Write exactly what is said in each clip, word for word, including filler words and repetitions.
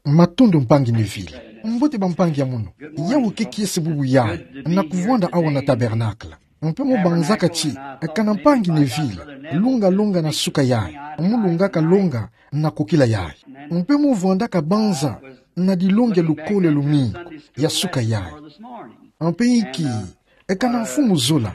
Matondo mpangi Neville. Mbote bampangi ya mono. Yawu ke kiese bubu yayi, na kuvwanda awa na Tabernacle. Mpe mo banzaka ti, kana mpangi Neville, longa longa na suka yayi, mo longaka longa na kokila yayi. Mpe mo vwandaka banza na dilongi ya lukolo ya lumingu ya suka yayi. Mpe inki, kana mfumu zola,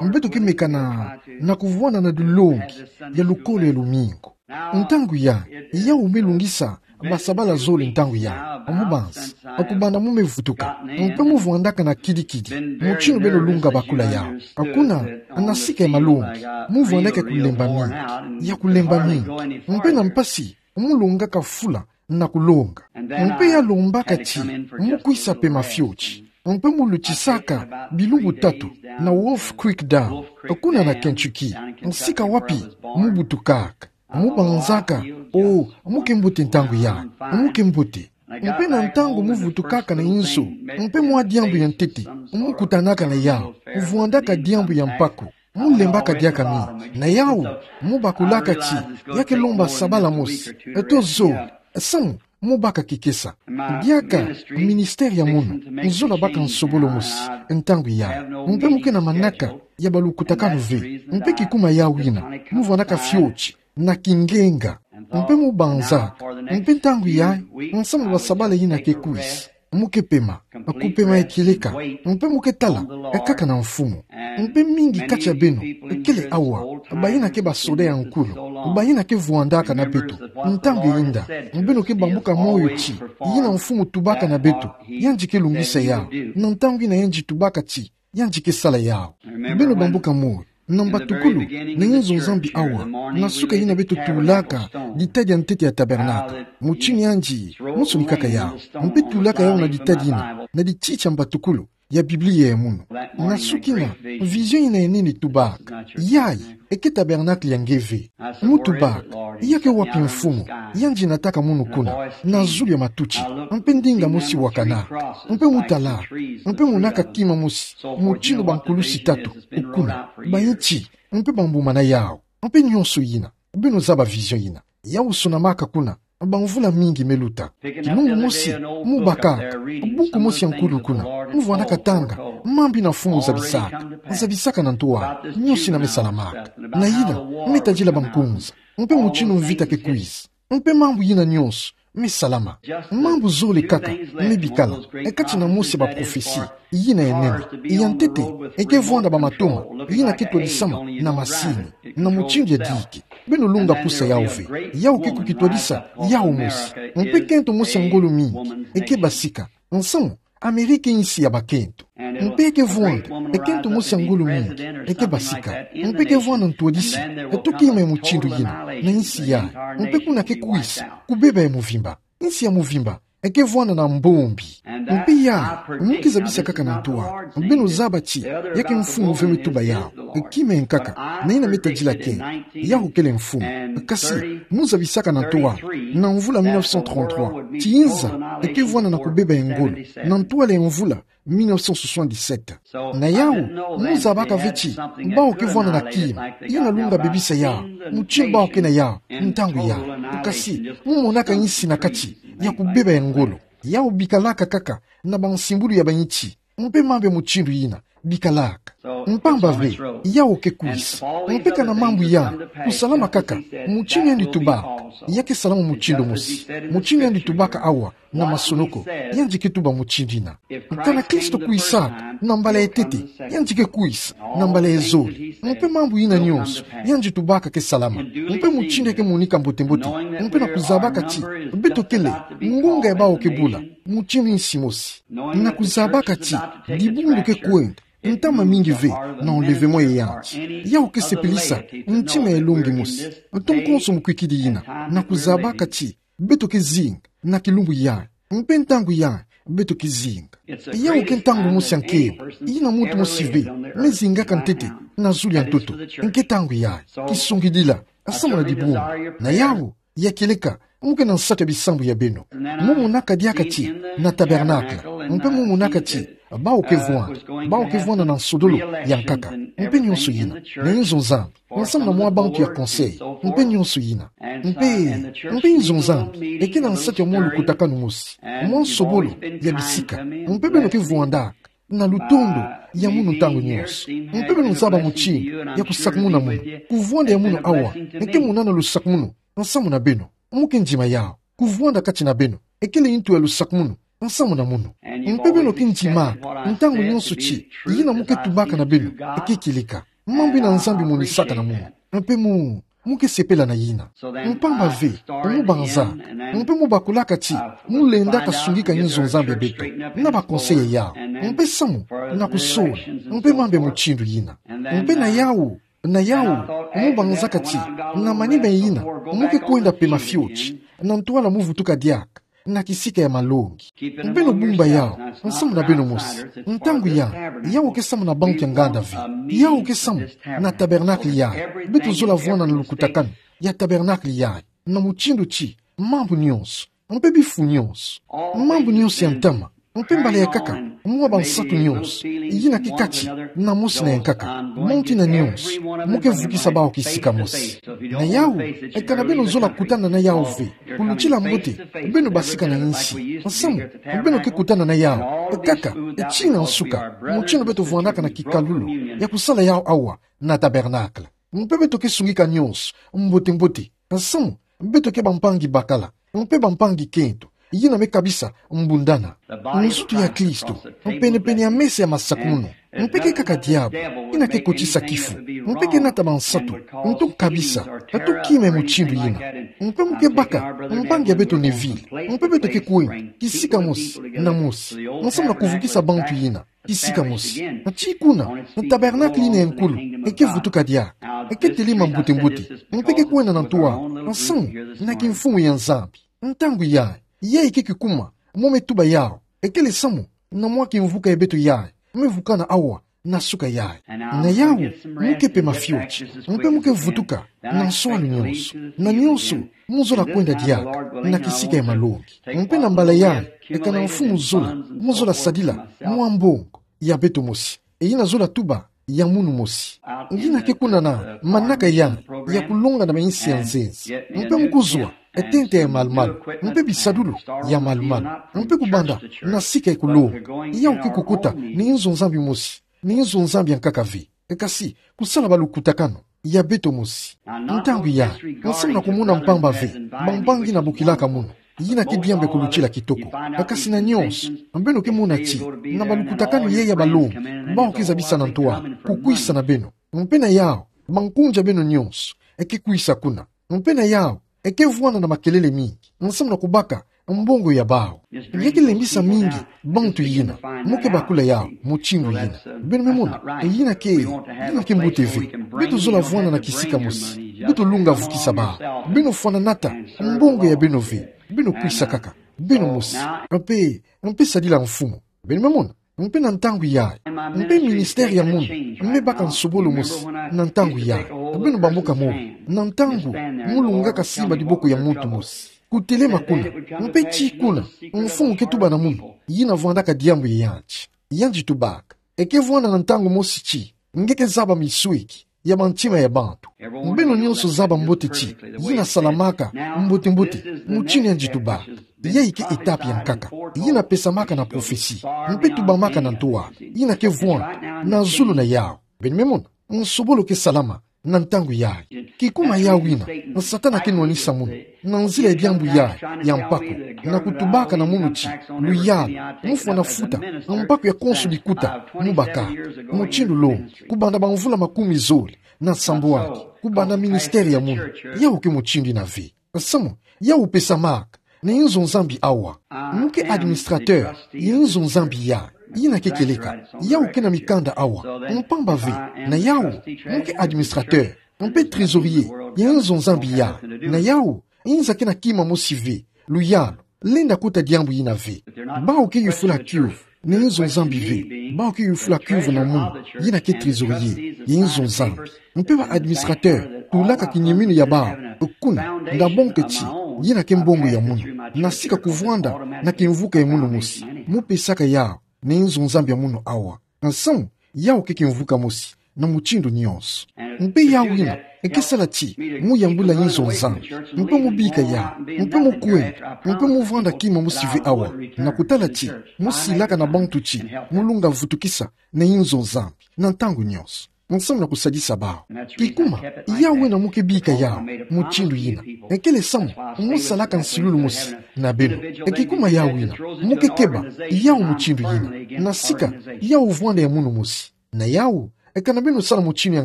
mbeto ke mekana na kuvwanda na dilongi ya lukolo ya lumingu. Ntangu yayi, yawu me longisa basabala zole ntangu yayi. Mo banzi, kubanda mo me vutuka, mpe mo vwandaka na kidi-kidi, motinu beno longa bakula yawu. Kuna, na sika ya malongi, mo vwandaka kulemba mingi, ya kulemba mingi, mpe na mpasi, mo longaka fula na kulonga. Mpe ya lombaka ti, mo kwisa pema fioti. Mpe mo lutisaka bilumbu tatu na Wolf Creek Dam, kuna na Kentucky, sika wapi mo butukaka. Mo banzaka, o, mo ke mbote ntangu yayi, mo ke mbote. Mpe na ntangu mo vutukaka na inzo, mpe mwa diambu ya ntete, mo kutanaka na yawu, vwandaka diambu ya mpaku. Mo lembaka diaka mingi, na yawu, mo bakulaka ti, ya ke lomba sabala mosi, to zole, samu, mo baka kikesa. Diaka, ministère ya mono, nzola baka nsobolo mosi, ntangu yayi. Mpe mo ke na manaka ya balukutakanu ve, mpe kikuma yawu yina, mo vwandaka fioti na kingenga. Mpe mo banzaka, mpe ntangu yayi, nsamu na basabala yina ke kwisa, mo ke pema, kupema ya kieleka, mpe mo ke tala kaka na mfumu. Mpe mingi kati ya beno kele awa, bayina ke basoda ya nkulu, bayina ke vwandaka na beto ntangu ya inda. Beno ke bambuka moyo ti, yina mfumu tubaka na beto, yandi ke longisa yawu, na ntangu yina yandi tubaka ti, yandi ke sala yawu. Beno bambuka moyo, na mbatukulu, na inzo Nzambi awa, na suka yina beto tulaka ditadi ya ntete ya Tabernacle. Motinu yandi, monso ni kaka yawu. Mpe tulaka yawu na ditadi yina, na dititi ya mbatukulu ya Biblia ya mono. Na suka yina, vision yina ya nene tubaka. Yayi, ke Tabernacle ya nge ve. Mo tubaka, ya ke wapi mfumu, yandi nataka mono kuna, na zulu ya matuti, mpe ndinga mosi wakanaka, mpe mo talaka, mpe mo monaka kima mosi, motinu bankulusi tatu, kuna, bainti, mpe bambuma na yawu, mpe nionso yina, beno zaba vision yina. Yawu sonamaka kuna, bamvula mingi me luta. Kilumbu mosi, mo bakaka buku mosi ya nkulu kuna, mo vwandaka tanga mambu yina Mfumu zabisaka, zabisaka na ntwala, nionso yina me salamaka. Na yina, me tadila bankunza, mpe motinu mvita ke kwisa, mpe mambu yina nionso me salama. Mambu zole kaka me bikala kati na mosi ya baprofesi yina ya nene. Ya ntete, ke vwanda bamatoma yina ke twadisama na masini, na mutindu ya dike. Beno longa pusa yawu ve. Yawu ke kukitwadisa yawu mosi. Mpe kento mosi ya ngolo mingi ke basika. Nsamu, Amerika insi ya bakento. Mpe ke vwanda kento mosi ya ngolo mingi ke basika. Mpe ke vwanda ntwadisi to kima ya mutindu yina na insi yayi. Mpe kuna ke kwisa kubeba ya mvimba. Insi ya mvimba ke vwanda na mbombi. Mpe yayi, mo ke zabisa kaka na ntwala. Beno zaba ti, ya ke mfumu ve me tuba yawu. Kima ya nkaka, na yina me tadila kento, yawu kele mfumu. Kasi, mo zabisaka na ntwala, na mvula mille neuf cent trente-trois, ti inza ke vwanda na kubeba ya ngolo, na ntwala ya mvula mille neuf cent soixante-dix-sept. Na yawu, mo zabaka ve ti, bawu ke vwanda na kima, yina longa bebisa yawu, mutindu bawu ke na yawu ntangu yayi. Kasi, mo monaka insi na kati ya kubeba ya ngolo. Yawu bikalaka kaka na bansimbulu ya bainti. Mpe mambu ya mutindu yina bikalaka. Mpamba ve, yawu ke kwisa. Mpe kana mambu yandi kusalama kaka, mutindu yandi tubaka, ya ke salama mutindu mosi. Mutindu yandi tubaka awa na masonoko, yandi ke tuba mutindu yina. Kana Kristo kwisaka na mbala ya ntete, yandi ke kwisa na mbala ya zole. Mpe mambu yina nionso yandi tubaka ke salama. Mpe mutindu ya ke monika mbote-mbote. Mpe na kuzabaka ti, beto kele ngonga ya bawu ke bula, mutindu insi mosi. Na kuzabaka ti, dibundu ke kwenda, ntama mingi ve na enlèvement ya yandi. Yawu ke sepelisa ntima ya elongi mosi. Nto nkonso mukwikidi yina, na kuzabaka ti, beto ke zinga na kilumbu yayi. Mpe ntangu yayi, beto ke zinga. Yawu ke ntangu mosi ya nkembo, yina muntu mosi ve me zingaka ntete na zulu ya ntoto. Ke ntangu yayi, kisongidila, samu na dibundu. Na yawu, ya kieleka, mo ke na nsatu ya bisambu ya beno. Mo monaka diaka ti, na tabernacle. Mpe mo monaka ti, Bawu ke vwanda, bawu ke vwanda na nsodolo ya nkaka, mpe nionso yina, na inzo Nzambi, nsamu na mwa bantu ya conseil, mpe nionso yina. Mpe, mpe inzo Nzambi eke na nsatu ya mwa lukutakanu mosi, mwa nsobolo ya bisika. Mpe beno ke vwandaka na lutondo ya munu ntangu nionso. Mpe beno zaba mutindu ya kusakumuna munu. Kuvwanda ya munu awa eke munana lusakumunu nsamu na beno. Mu ke ndima yawu. Kuvwanda kati na beno ekele ntu ya lusakumunu nsamu na munu. Mpe beno ke ndimaka ntangu nionso ti yina mu ke tubaka na beno eke kieleka. Mambu yina Nzambi monisaka na munu, mpe mu, mu ke sepela na yina. Mpamba ve, mu banzaka, mpe mu bakulaka ti mu lenda kasungika inzo Nzambi ya beto na ba conseil yawu, mpe samu na kusola, mpe mambu ya mutindu yina. Mpe na yawu, na yawu, mu banzaka ti na manima yina mu ke kwenda pema fioti na ntwala mu vutuka diaka na kisika ya malongi. Beno bumba yawu nsamu na beno mosi. Ntangu yayi, yawu ke samu na bantu ya nganda ve. Yawu ke samu na tabernacle yayi. Beto zola vwanda na lukutakanu ya tabernacle yayi, na mutindu ti mambu nionso, mpe bifu nionso, mambu nionso ya ntama, mpe mbala ya nkaka, mwa bansatu nionso yina ke kati na mosi na ya nkaka, monti na nionso mu ke vukisa bawu kisika mosi. Na yawu, eka na beno zola kutana na yawu ve kulutila mbote, beno basika na insi, nsamu beno ke kutana na yawu kaka eti na nsuka, mutindu beto vwandaka na kikalulu ya kusala yawu awa na tabernacle. Mpe beto ke sungika nionso mbote-mbote, nsamu beto ke bampangi bakala, mpe bampangi kento yina me kabisa mbundana. Nzutu ya Kristo, pene-pene ya mesa ya masakumunu, mpe ke kaka diabu yina ke kotisa kifu, mpe ke nata bansatu nto kabisa, nto kima ya mutindu yina. Mpe mu ke baka mpangi ya beto Neville, mpe beto ke kwenda kisika mosi na mosi, nsamu na kuvukisa bantu yina kisika mosi. Na ti kuna, na tabernacle yina ya nkulu eke vutuka diaka, eke telema mbote-mbote, mpe ke kwenda na ntwala, nsamu na kimfumu ya Nzambi. Ntangu yayi, yayi ke kikuma mo me tuba yawu, ekele samu na mwa kimvuka ya beto yayi me vukana awa na suka yayi. Na yawu, mu ke pema fioti, mpe mu ke vutuka na nswalu nionso, na nionso mu zola kwenda diaka na kisika ya malongi. Mpe na mbala yayi, eka na mfumu zola, mu zola sadila mwa mbongo ya beto mosi, e yina zola tuba ya munu mosi. Yina ke kuna na manaka yayi ya kulonga na mainsi ya nzenza. Mpe mu kuzwa e tente ya malu-malu, mpe bisadulu ya malu-malu, mpe kubanda na sika ya kulonga. Yawu ke kukota na inzo Nzambi mosi, na inzo Nzambi ya nkaka ve, e kasi kusala balukutakanu ya beto mosi. Ntangu yayi, nsamu na kumona mpamba ve bampangi yina bokilaka munu, yina ke diambu ya kulutila kitoko. Kasi na nionso, beno ke mona ti na balukutakanu yayi ya balongi, bawu ke zabisa na ntwala kukwisa na beno. Mpe na yawu, bankunja beno nionso eke kwisa kuna. Mpe na yawu, eke vwanda na makelele mingi, nsamu na kubaka mbongo ya bawu. Nge ke lembisa mingi bantu yina, mu ke bakula yawu mutindu yina. Beno me mona, yina ke, yina ke mbote ve. Beto zola vwanda na kisika mosi, beto lunga vukisa bawu. Beno fwananata mbongo ya beno ve, beno kwisa kaka beno mosi, mpe, mpe sadila mfumu. Beno me mona. Mpe na ntangu yayi, mpe ministère ya munu me baka nsobolo mosi. Na ntangu yayi, beno bamboka moyo, na ntangu mu lungaka simba diboko ya muntu mosi, kutelema kuna, mpe ti kuna, mfumu ke tuba na munu, yina vwandaka diambu ya yandi. Yandi tubaka, eke vwanda na ntangu mosi ti nge ke zaba misweki ya bantima ya bantu. Beno nionso zaba mbote ti yina salamaka mbote-mbote mutindu yandi tubaka. Yayi ke étape ya nkaka yina pesamaka na prophétie, mpe tubamaka na ntwala, yina ke vwanda na zulu na yawu. Beno me mona, nsobolo ke salama na ntangu yayi. Kikuma yawu yina, Satana ke nwanisa munu na nzila ya diambu yayi ya mpaku, na kutubaka na munu ti luyalu, mu fwana futa mpaku ya konso bikuta mu baka, mutindu lo, kubanda bamvula makumi zole na sambwadi, kubanda ministère ya munu. Yawu ke mutindu yina ve. Samu, yawu pesamaka na inzo Nzambi awa. Mu ke administrateur ya inzo Nzambi yayi, yina ke kieleka, yawu ke na mikanda awa. Mpamba ve, na yawu, mu ke administrateur, mpe trésorier ya inzo Nzambi yayi. Na yawu, inza ke na kima mosi ve, luyalu, lenda kota diambu yina ve. Bawu ke yufula cuve na inzo Nzambi ve, bawu ke yufula cuve na munu, yina ke trésorier ya inzo Nzambi. Mpe ba administrateur, tulaka kinyemino ya bawu kuna, nda bo nge ti, yina ke mbongo ya munu, na sika kuvwanda na kimvuka ya munu mosi, mu pesaka yawu na inzo Nzambi ya munu awa. Nsamu, yawu ke kimvuka mosi na mutindu nyonso. Mpe yawu ina, eke sala ti mu yambula inzo Nzambi, mpe mu bika yawu, mpe mu kwenda, mpe mu vwanda kima mosi ve awa, na kutala ti mu silaka na bantu ti mu lunga vutukisa na inzo Nzambi na ntangu nyonso. Nsamu na kusadisa bawu. Kikuma, yawu ina mu ke bika yawu mutindu yina, ekele samu mu salaka nsilulu mosi na beno. E kikuma yawu ina, mu ke keba yawu mutindu yina, na sika yawu vwanda ya munu mosi. Na yawu, e kana beno sala mutindu ya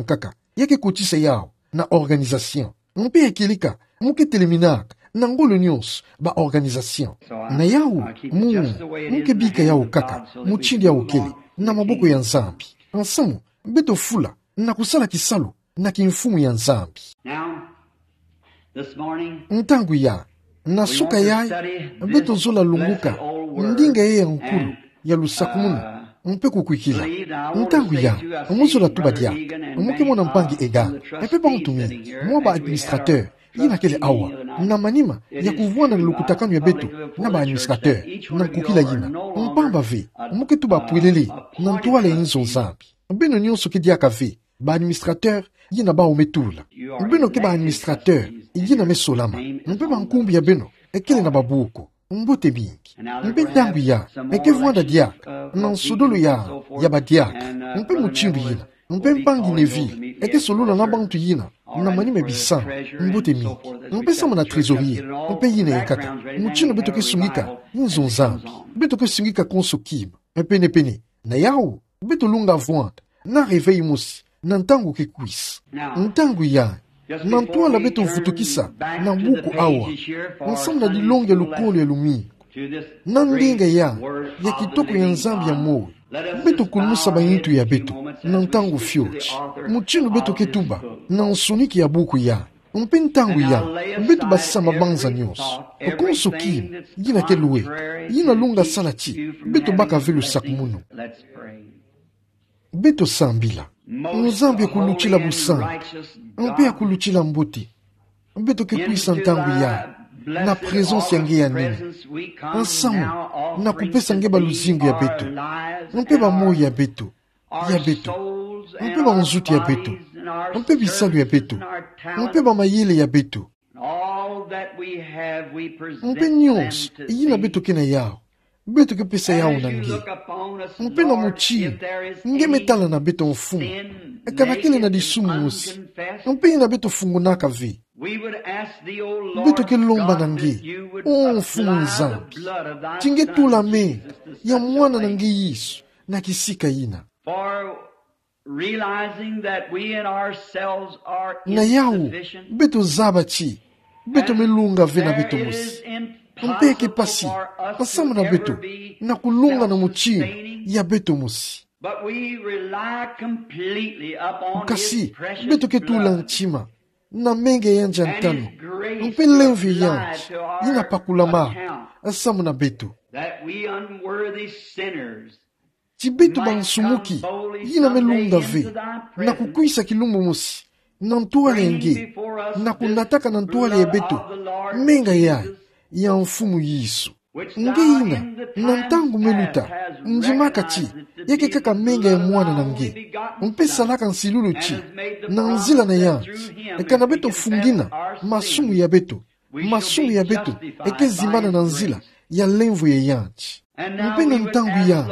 nkaka, ya ke kotisa yawu na organisation. Mpe ya kieleka, mu ke teleminaka na ngolo nyonso ba organisation. Na yawu, mu, mu ke bika yawu kaka mutindu yawu kele, na maboko ya Nzambi. Nsamu, beto fula na kusala kisalu na kimfumu ya Nzambi. Now, this morning, ntangu ya, na suka yayi, beto zola lunguka ndinga yayi ya nkulu ya lusakumunu mpe kukwikila. Ntangu ya, mu zola tuba diaka, mu ke mona mpangi Egan, mpe bantu mingi, mwa ba administrateur yina kele awa, na manima ya kuvwanda na lukutakanu ya beto na ba administrateur na nkukila yina. Mpamba ve, mu ke tuba pwelele na ntwala ya inzo Nzambi. Beno nyonso ke diaka ve ba administrateur yina bawu me tula. Beno ke ba administrateur yina me solama. Mpe bankumbu ya beno ekele na babuku. Mbote mingi. Mpe ntangu ya, e ke vwanda diaka na nsodolo ya, ya badiaka. Mpe mutindu yina. Mpe mpangi Neville e ke solola na bantu yina na manima bisamu. Mbote mingi. Mpe samu na trésorier, mpe yina ya nkaka. Mutindu beto ke sungika inzo Nzambi, beto ke sungika konso kima. Mpe penepene na yawu, beto lunga vwanda na réveil mosi na ntangu ke kwisa. Ntangu ya, na ntwala beto vutukisa na buku awa, nsamu na dilongi ya lukolo ya lumingu, na ndinga ya, ya kitoko ya Nzambi ya moyo, beto kulumusa ba intu ya beto na ntangu fioti, mutindu beto ke tuba na nsoniki ya buku ya. Mpe ntangu ya, beto basisa mabanza nyonso, konso kima yina ke lweka, yina lunga sala ti beto baka ve lusakumunu. Beto sambila. Nzambi akulutila busantu, mpe akulutila mbote. Beto ke kwisa ntangu ya na présence ya nge ya nene, nsamu na kupesa nge ba luzingu ya beto, mpe ba moyo ya beto, ya beto, mpe ba nzutu ya beto, mpe bisalu ya beto, mpe ba mayele ya beto. Mpe nyonso yina beto ke na yawu, beto ke pesa yawu na nge. Mpe na mutindu nge me tala na beto, Mfumu, e kana kele na disumu mosi, mpe yina beto fungonaka ve, beto ke lomba na nge, o Mfumu Nzambi, ti nge tula menga ya Mwana na nge Yesu na kisika yina. Na yawu, beto zaba ti beto me lunga ve na beto mosi. Mpe eke pasi nsamu na beto na kulunga na mutindu ya beto mosi. Kasi beto ke tula ntima na menga ya yandi ya ntalo, mpe lemvo ya yandi yina pakulamaka nsamu na beto. Ti beto bansumuki yina me lunga ve na kukwisa kilumbu mosi na ntwala ya nge, na kunataka na ntwala ya beto menga yayi ya Mfumu Yesu. Nge yina, na ntangu me luta, ndimaka ti ya ke kaka menga ya Mwana na nge, mpe salaka nsilulu ti na nzila na yandi e kana beto fungina masumu ya beto, masumu ya beto e ke zimbana na nzila ya lemvo ya yandi. Mpe na ntangu ya,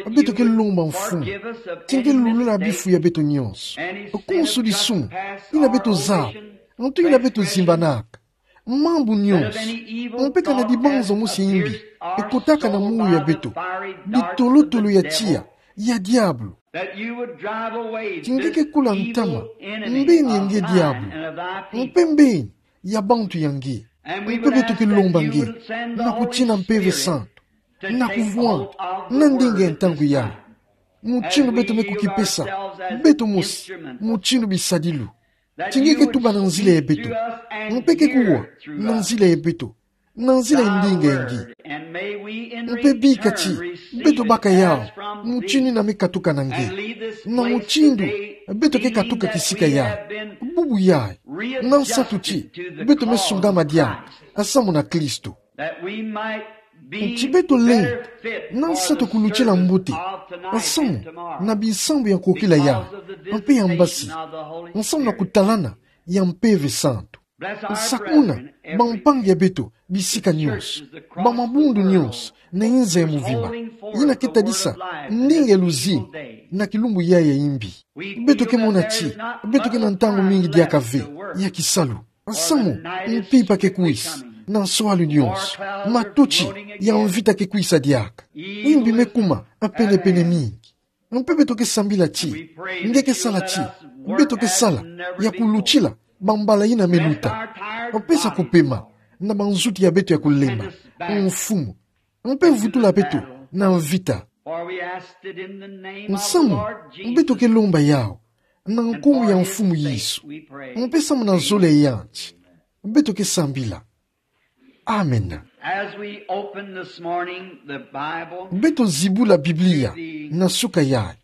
beto ke lomba, Mfumu, ti nge lulula bifu ya beto nyonso, konso disumu yina beto zaba, ntu yina beto zimbanaka, mambu nyonso, mpe kana dibanza mosi ya imbi e kotaka na moyo ya beto, ditolotolo ya tiya ya diabolo. Ti nge ke kula ntama mbeni ya nge diabolo, mpe mbeni ya bantu ya nge. Mpe beto ke lomba nge na kutina Mpeve Santu na kuvwanda na ndinga ya ntangu ya, mutindu beto me kukipesa beto mosi mutindu bisadilu. Ti nge ke tuba na nzila ya beto, mpe ke kuwa na nzila ya beto, na nzila ya ndinga ya nge. Mpe bika ti beto baka yawu mutindu yina me katuka na nge, na mutindu beto ke katuka kisika yayi. Bubu yayi, na nsatu ti beto me sungama diaka nsamu na Kristo. Nti beto lenda na nsatu kulutila mbote nsamu na bisambu ya nkokila ya, mpe ya mbasi, nsamu na kutalana ya Mpeve Santu. Sakuna bampangi ya beto bisika nyonso, bamabundu nyonso na inza ya movimba, yina ke tadisa ndinga ya luzingu na kilumbu yayi ya imbi. Beto ke mona ti beto ke na ntangu mingi diaka ve ya kisalu. Nsamu, mpimpa ke kwisa na nswalu nyonso, matoti ya mvita ke kwisa diaka, imbi me kuma pene-pene mingi. Mpe beto ke sambila ti nge ke sala ti beto ke sala ya kulutila bambala yina me luta, mpe sa kupema na banzuti ya beto ya kulemba, Mfumu, mpe vutula beto na mvita. Nsamu, beto ke lomba yawu na nkumbu ya Mfumu Yesu, mpe samu na zole ya yandi beto ke sambila. Amen. As we open this morning the Bible, beto zibula Biblia na suka yayi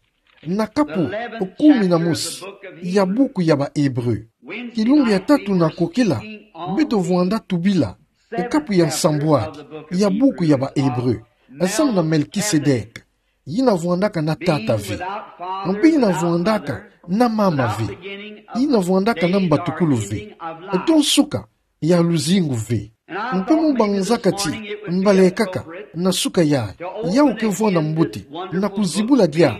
na kapu kumi na mosi ya buku ya ba Hébreux. Kilumbu ya tatu na nkokila, beto vwanda tubila e kapu ya nsambwadi ya buku ya ba Hébreux, samu na Melkisedeke, yina vwandaka na tata ve, mpe yina vwandaka na mama ve, yina vwandaka na mbatukulu ve, to nsuka ya luzingu ve. Mpe mu banzaka ti mbala kaka na suka yayi, yawu ke vwanda mbote na kuzibula diaka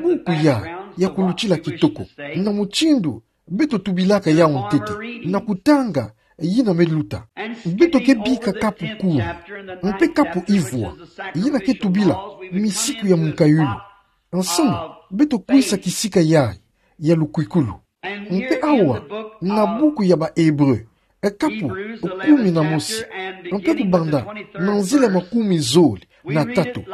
buku yayi ya kulutila kitoko, na mutindu beto tubilaka yawu ntete na kutanga yina me luta. Beto ke bika kapu kumi, mpe kapu ivwa, yina ke tubila misiku ya munkayulu. Nsamu, beto kwisa kisika yayi ya lukwikulu. Mpe awa, na buku ya ba Hébreux, e kapu kumi na mosi, mpe kubanda na nzila makumi zole na tatu,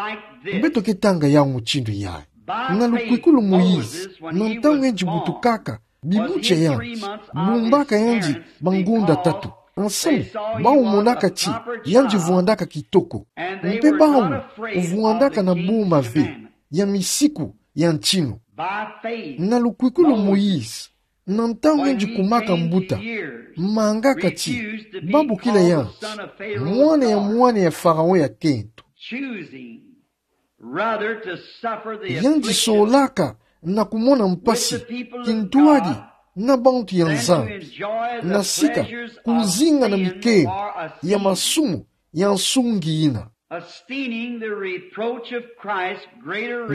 beto ke tanga yawu mutindu yayi. Na lukwikulu Moïse, na ntangu yandi butukaka bibutia yandi, bumbaka yandi bangonda tatu. Nsamu, bawu monaka ti yandi vwandaka kitoko, mpe bawu vwandaka na boma ve ya misiku ya ntinu. Na lukwikulu Moïse, na ntangu yandi kumaka mbuta, mangaka ti babokila yandi mwana ya mwana ya Pharaon ya kento. Yandi solaka na kumona mpasi kintwadi na bantu ya Nzambi, na sika kuzinga na mikembo ya masumu ya nsungi yina.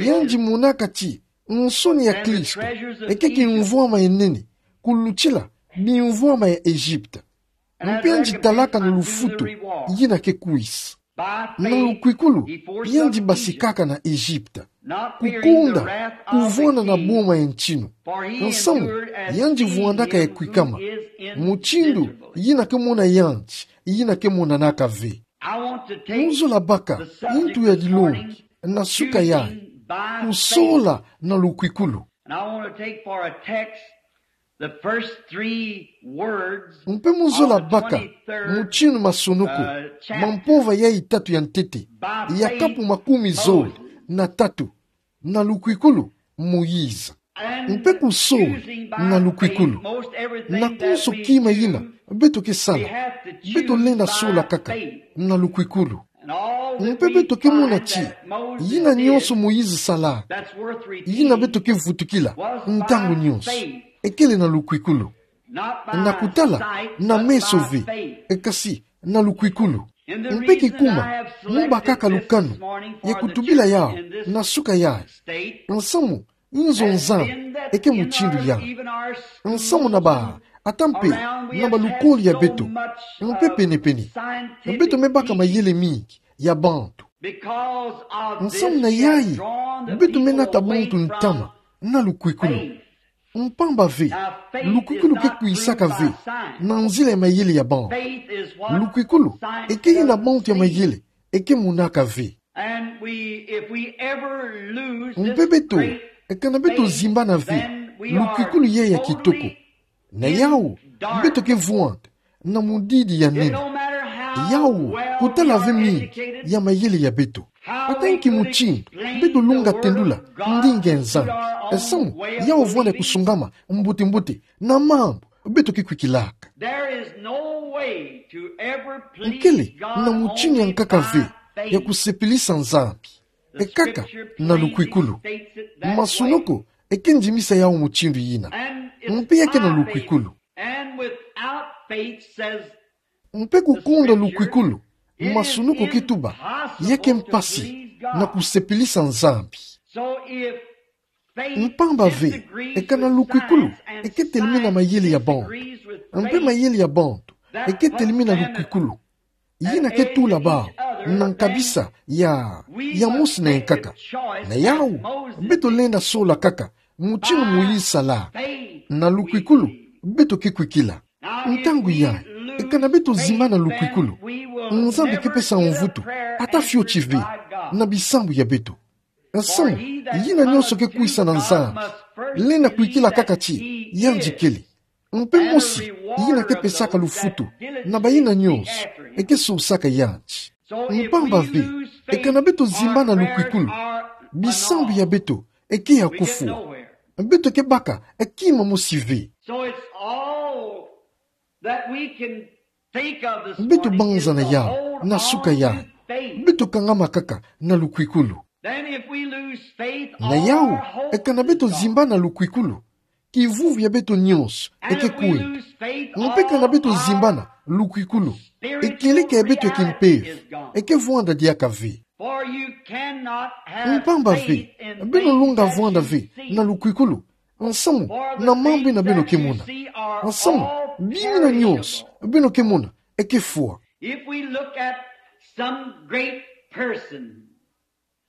Yandi monaka ti nsoni ya Kristo eke kimvwama ya nene kulutila bimvwama ya Egypte. Mpe yandi talaka na lufutu yina ke kwisa. Na lukwikulu, yandi basikaka na Egypte, kukonda kuvwanda na boma ya ntinu. Nsamu, yandi vwandaka ya kwikama, mutindu yina ke mona yandi, yina ke monanaka ve. Mu zola baka ntu ya dilongi na suka yayi, kusola na lukwikulu. Mpe mu zola baka mutinu masonoko ma mpova yayi tatu ya ntete ya kapu makumi zole na tatu, na lukwikulu Moïse. Mpe kusola na lukwikulu, na konso kima yina beto ke sala, beto lenda sola kaka na lukwikulu. Mpe beto ke mona ti yina nyonso Moïse salaka, yina beto ke vutukila ntangu nyonso, ekele na lukwikulu. Na kutala na meso ve, kasi na lukwikulu. Mpe kikuma mu bakaka lukanu ya kutubila yawu na suka yayi, nsamu nzo Nzambi eke mutindu yawu. Nsamu na ba ata mpe na balukoli ya beto, mpe pene-pene, beto me baka mayele mingi ya bantu. Nsamu na yayi, beto me nata bantu ntama na lukwikulu. Mpamba ve, lukwikulu ke kwisaka ve na nzila ya mayele ya bantu. Lukwikulu eke yina bantu ya mayele eke monaka ve. Mpe beto, kana beto zimbana ve lukwikulu yayi ya kitoko, na yawu, beto ke vwanda na mudidi ya nene. Yawu kutala ve mingi ya mayele ya beto. Ata nki mutindu beto lunga tendula ndinga ya Nzambi, nsamu yawu vwanda kusongama mbote-mbote na mambu beto ke kwikilaka. Nkele na mutindu ya nkaka ve ya kusepelisa Nzambi. Ekaka na lukwikulu. Masunoko eke ndimisa yawu mutindu yina. Mpe ya ke na lukwikulu. And without faith, says the scripture, it is impossible to please God. Mpe kukonda lukwikulu, masunoko ke tuba, ya ke mpasi na kusepelisa Nzambi. So if faith disagrees with science and science disagrees with faith, then that family cannot be saved. Mpamba ve, eka na lukwikulu eke telemena mayele ya bantu, mpe mayele ya bantu eke telemena lukwikulu, yina ke tula bawu na nkabisa ya, ya mosi na yankaka. Na yawu, beto lenda sola kaka mutindu Moïse sala. Na lukwikulu, beto ke kwikila. Ntangu yayi, eka na beto zimbana lukwikulu, Nzambi ke pesa mvutu, ata fioti ve, na bisambu ya beto. Nsamu, yina nyonso ke kwisa na Nzambi, lenda kwikila kaka ti yandi kele. Mpe mosi, yina ke pesaka lufutu na bayina nyonso eke sosaka yandi. Mpamba ve, eka na beto zimbana lukwikulu, bisambu ya beto eke ya kufwa. Beto ke baka kima mosi ve. So it's all that we can think of this morning is to hold on to faith. Beto banza na yawu, na suka yayi, beto kangama kaka na lukwikulu. Then if we lose faith, all our hope is gone. Na yawu, eka na beto zimbana lukwikulu, kivuvu ya beto nyonso eke kwenda. And if we lose faith, all our spiritual reality is gone. Mpe eka na beto zimbana lukwikulu, ekileke ya beto ya kimpeve eke vwanda diaka ve. For you cannot have faith in things that you see. Mpamba ve, beno lunga vwanda ve na lukwikulu, nsamu na mambu yina beno ke mona. For the things that you see are all temporary. Nsamu, bima nyonso beno ke mona eke fwa. If we look at some great person,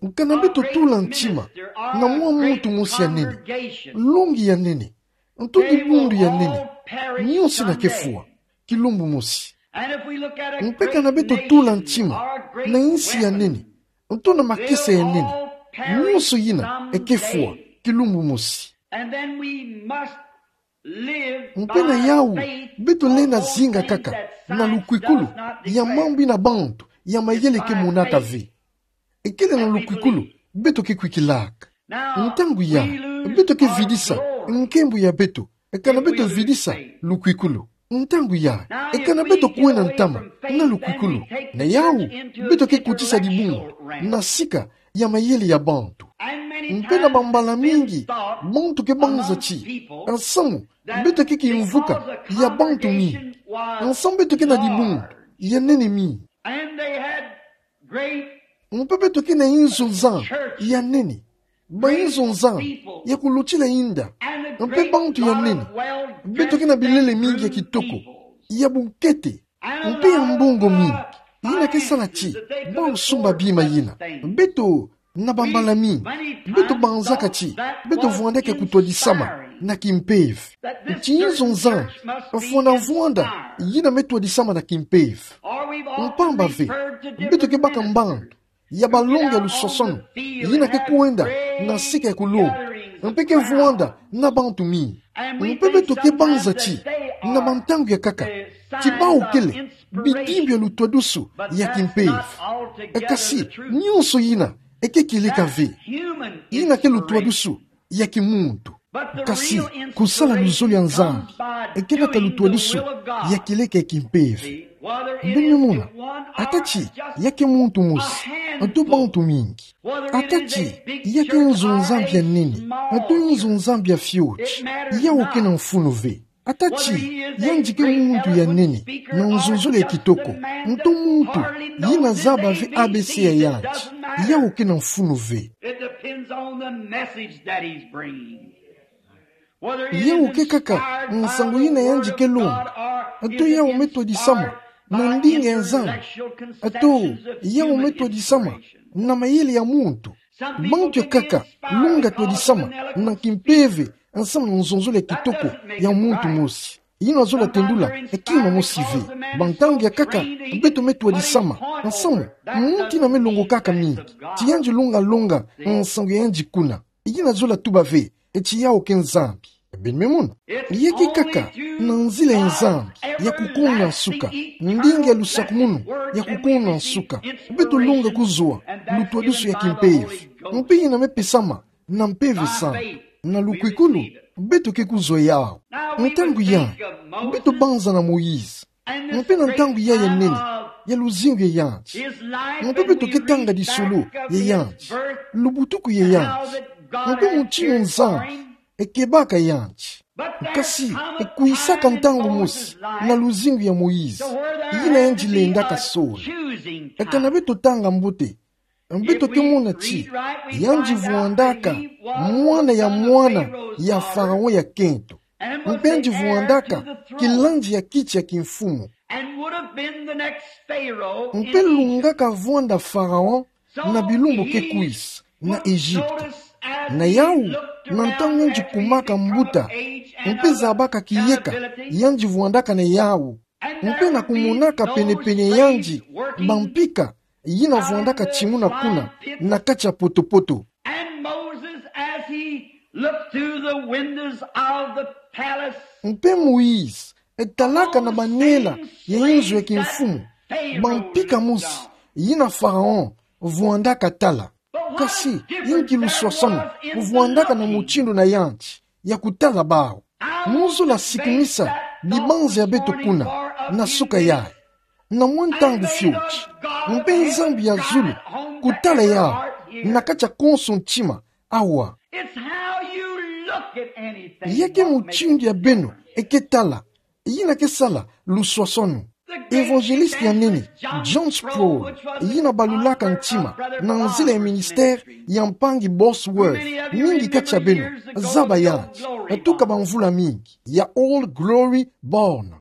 eka na beto tula ntima na mwa muntu mosi ya nene, longi ya nene, nto dibundu ya nene, nyonso yina ke fwa kilumbu mosi. Mpe eka na beto tula ntima na yinsi ya nene, nto na makesa ya nene, nyonso yina eke fwa kilumbu mosi. Mpe na yawu, beto lenda zinga kaka na lukwikulu ya mambu yina bantu ya mayele ke monaka ve. Ekele na lukwikulu beto ke kwikilaka. Ntangu yayi, beto ke vidisa nkembo ya beto eka na beto vidisa lukwikulu. Ntangu yayi, eka na beto kwenda ntama na lukwikulu, na yawu, beto ke kotisa dibundu na sika ya mayele ya bantu. Mpe na bambala mingi, bantu ke banza ti, nsamu, beto ke kimvuka ya bantu mingi, nsamu beto ke na dibundu ya nene mingi. Mpe beto ke na inzo nzambi ya nene, ba inzo nzambi ya kulutila inda, mpe bantu ya nene, beto ke na bilele mingi ya kitoko, ya bunkete, mpe ya mbongo mingi, yina ke sala ti bawu sumba bima yina. Beto, na bambala mingi, beto banzaka ti beto vwandeke kutwadisama na kimpeve. Ti inzo nzambi fwana vwanda yina me twadisama na kimpeve. Mpamba ve, beto ke baka mbandu ya balongi ya lusosono yina ke kwenda na sika ya kulonga, mpe ke vwanda na bantu mingi. Mpe beto ke banza ti, na bantangu ya nkaka, ti bawu kele bidimbu ya lutwadusu ya kimpeve. Kasi, nyonso yina eke kileka ve. Yina ke lutwadusu ya kimuntu. Kasi, kusala luzolo ya Nzambi eke nata lutwadusu ya kileka ya kimpeve. Beno mona, ata ti ya ke muntu mosi, nto bantu mingi. Ata ti ya ke inzo nzambi ya nene, nto inzo nzambi ya fioti, yawu ke na mfunu ve. Ata ti yandi ke muntu ya nene na nzonzolo ya kitoko, nto muntu yina zaba ve A B C ya yandi, yawu ke na mfunu ve. It depends on the message that he's bringing. Yawu ke kaka nsangu yina yandi ke longa, nto yawu me twadisama na ndinga ya Nzambi, nto yawu me twadisama na mayele ya muntu. Bantu ya nkaka lunga twadisama na kimpeve, nsamu na nzonzolo ya kitoko ya muntu mosi. Yina zola tendula kima mosi ve. Bantangu ya nkaka, beto me twadisama nsamu muntu yina me longokaka mingi, ti yandi lunga longa nsangu ya yandi kuna. Yina zola tuba ve ti yawu ke Nzambi. Beno me mona, ya ke kaka na nzila ya Nzambi ya kukuna nsuka, ndinga ya lusakumunu ya kukuna nsuka, beto longa kuzwa lutwadusu ya kimpeve, mpe yina me pesama na mpeve sani. Na lukwikulu, beto ke kuzwa yawu. Ntangu yayi, beto banza na Moïse. Mpe na ntangu yayi ya nene, ya luzingu ya yandi. Mpe beto ke tanga tisololo ya yandi, lubutuku ya yandi, mpe mutindu Nzambi ekebaka yandi. Kasi, ekwisaka ntangu mosi na luzingu ya Moïse, yina yandi lendaka sola. Kana beto tanga mbote, beto ke mona ti yandi vwandaka mwana ya mwana ya Pharaon ya kento. Mpe yandi vwandaka kilandi ya kiti ya kimfumu. Mpe lungaka vwanda Pharaon na bilumbu ke kwisa na Egypte. Na yau, na ntangu yandi kumaka mbuta, mpe zabaka kiyeka yandi vwandaka na yau, mpe na kumonaka penepene yandi bampika yina vwandaka timuna kuna na kati ya potopoto. And Moses, as he looked through the windows of the palace, mpe Moïse, etalaka na banela ya inzo ya kimfumu, bampika mosi yina Pharaon vwandaka tala. Kasi, inki luswaswanu mvwandaka na mutindu na yandi ya kutala bawu? Mu zola sikumisa dibanza ya beto kuna na suka yayi, na mwa ntangu fioti, mpe Nzambi ya zulu kutala yawu na kati ya konso ntima awa. It's how you look at anything. Ya ke mutindu ya beno e ke tala, yina ke sala luswaswanu. Evangeliste ya nene, John Sproul, yina balulaka ntima na nzila ya ministère ya mpangi Bosworth, mingi kati ya beno zaba yandi, tuka bamvula mingi, ya Old Glory Barn.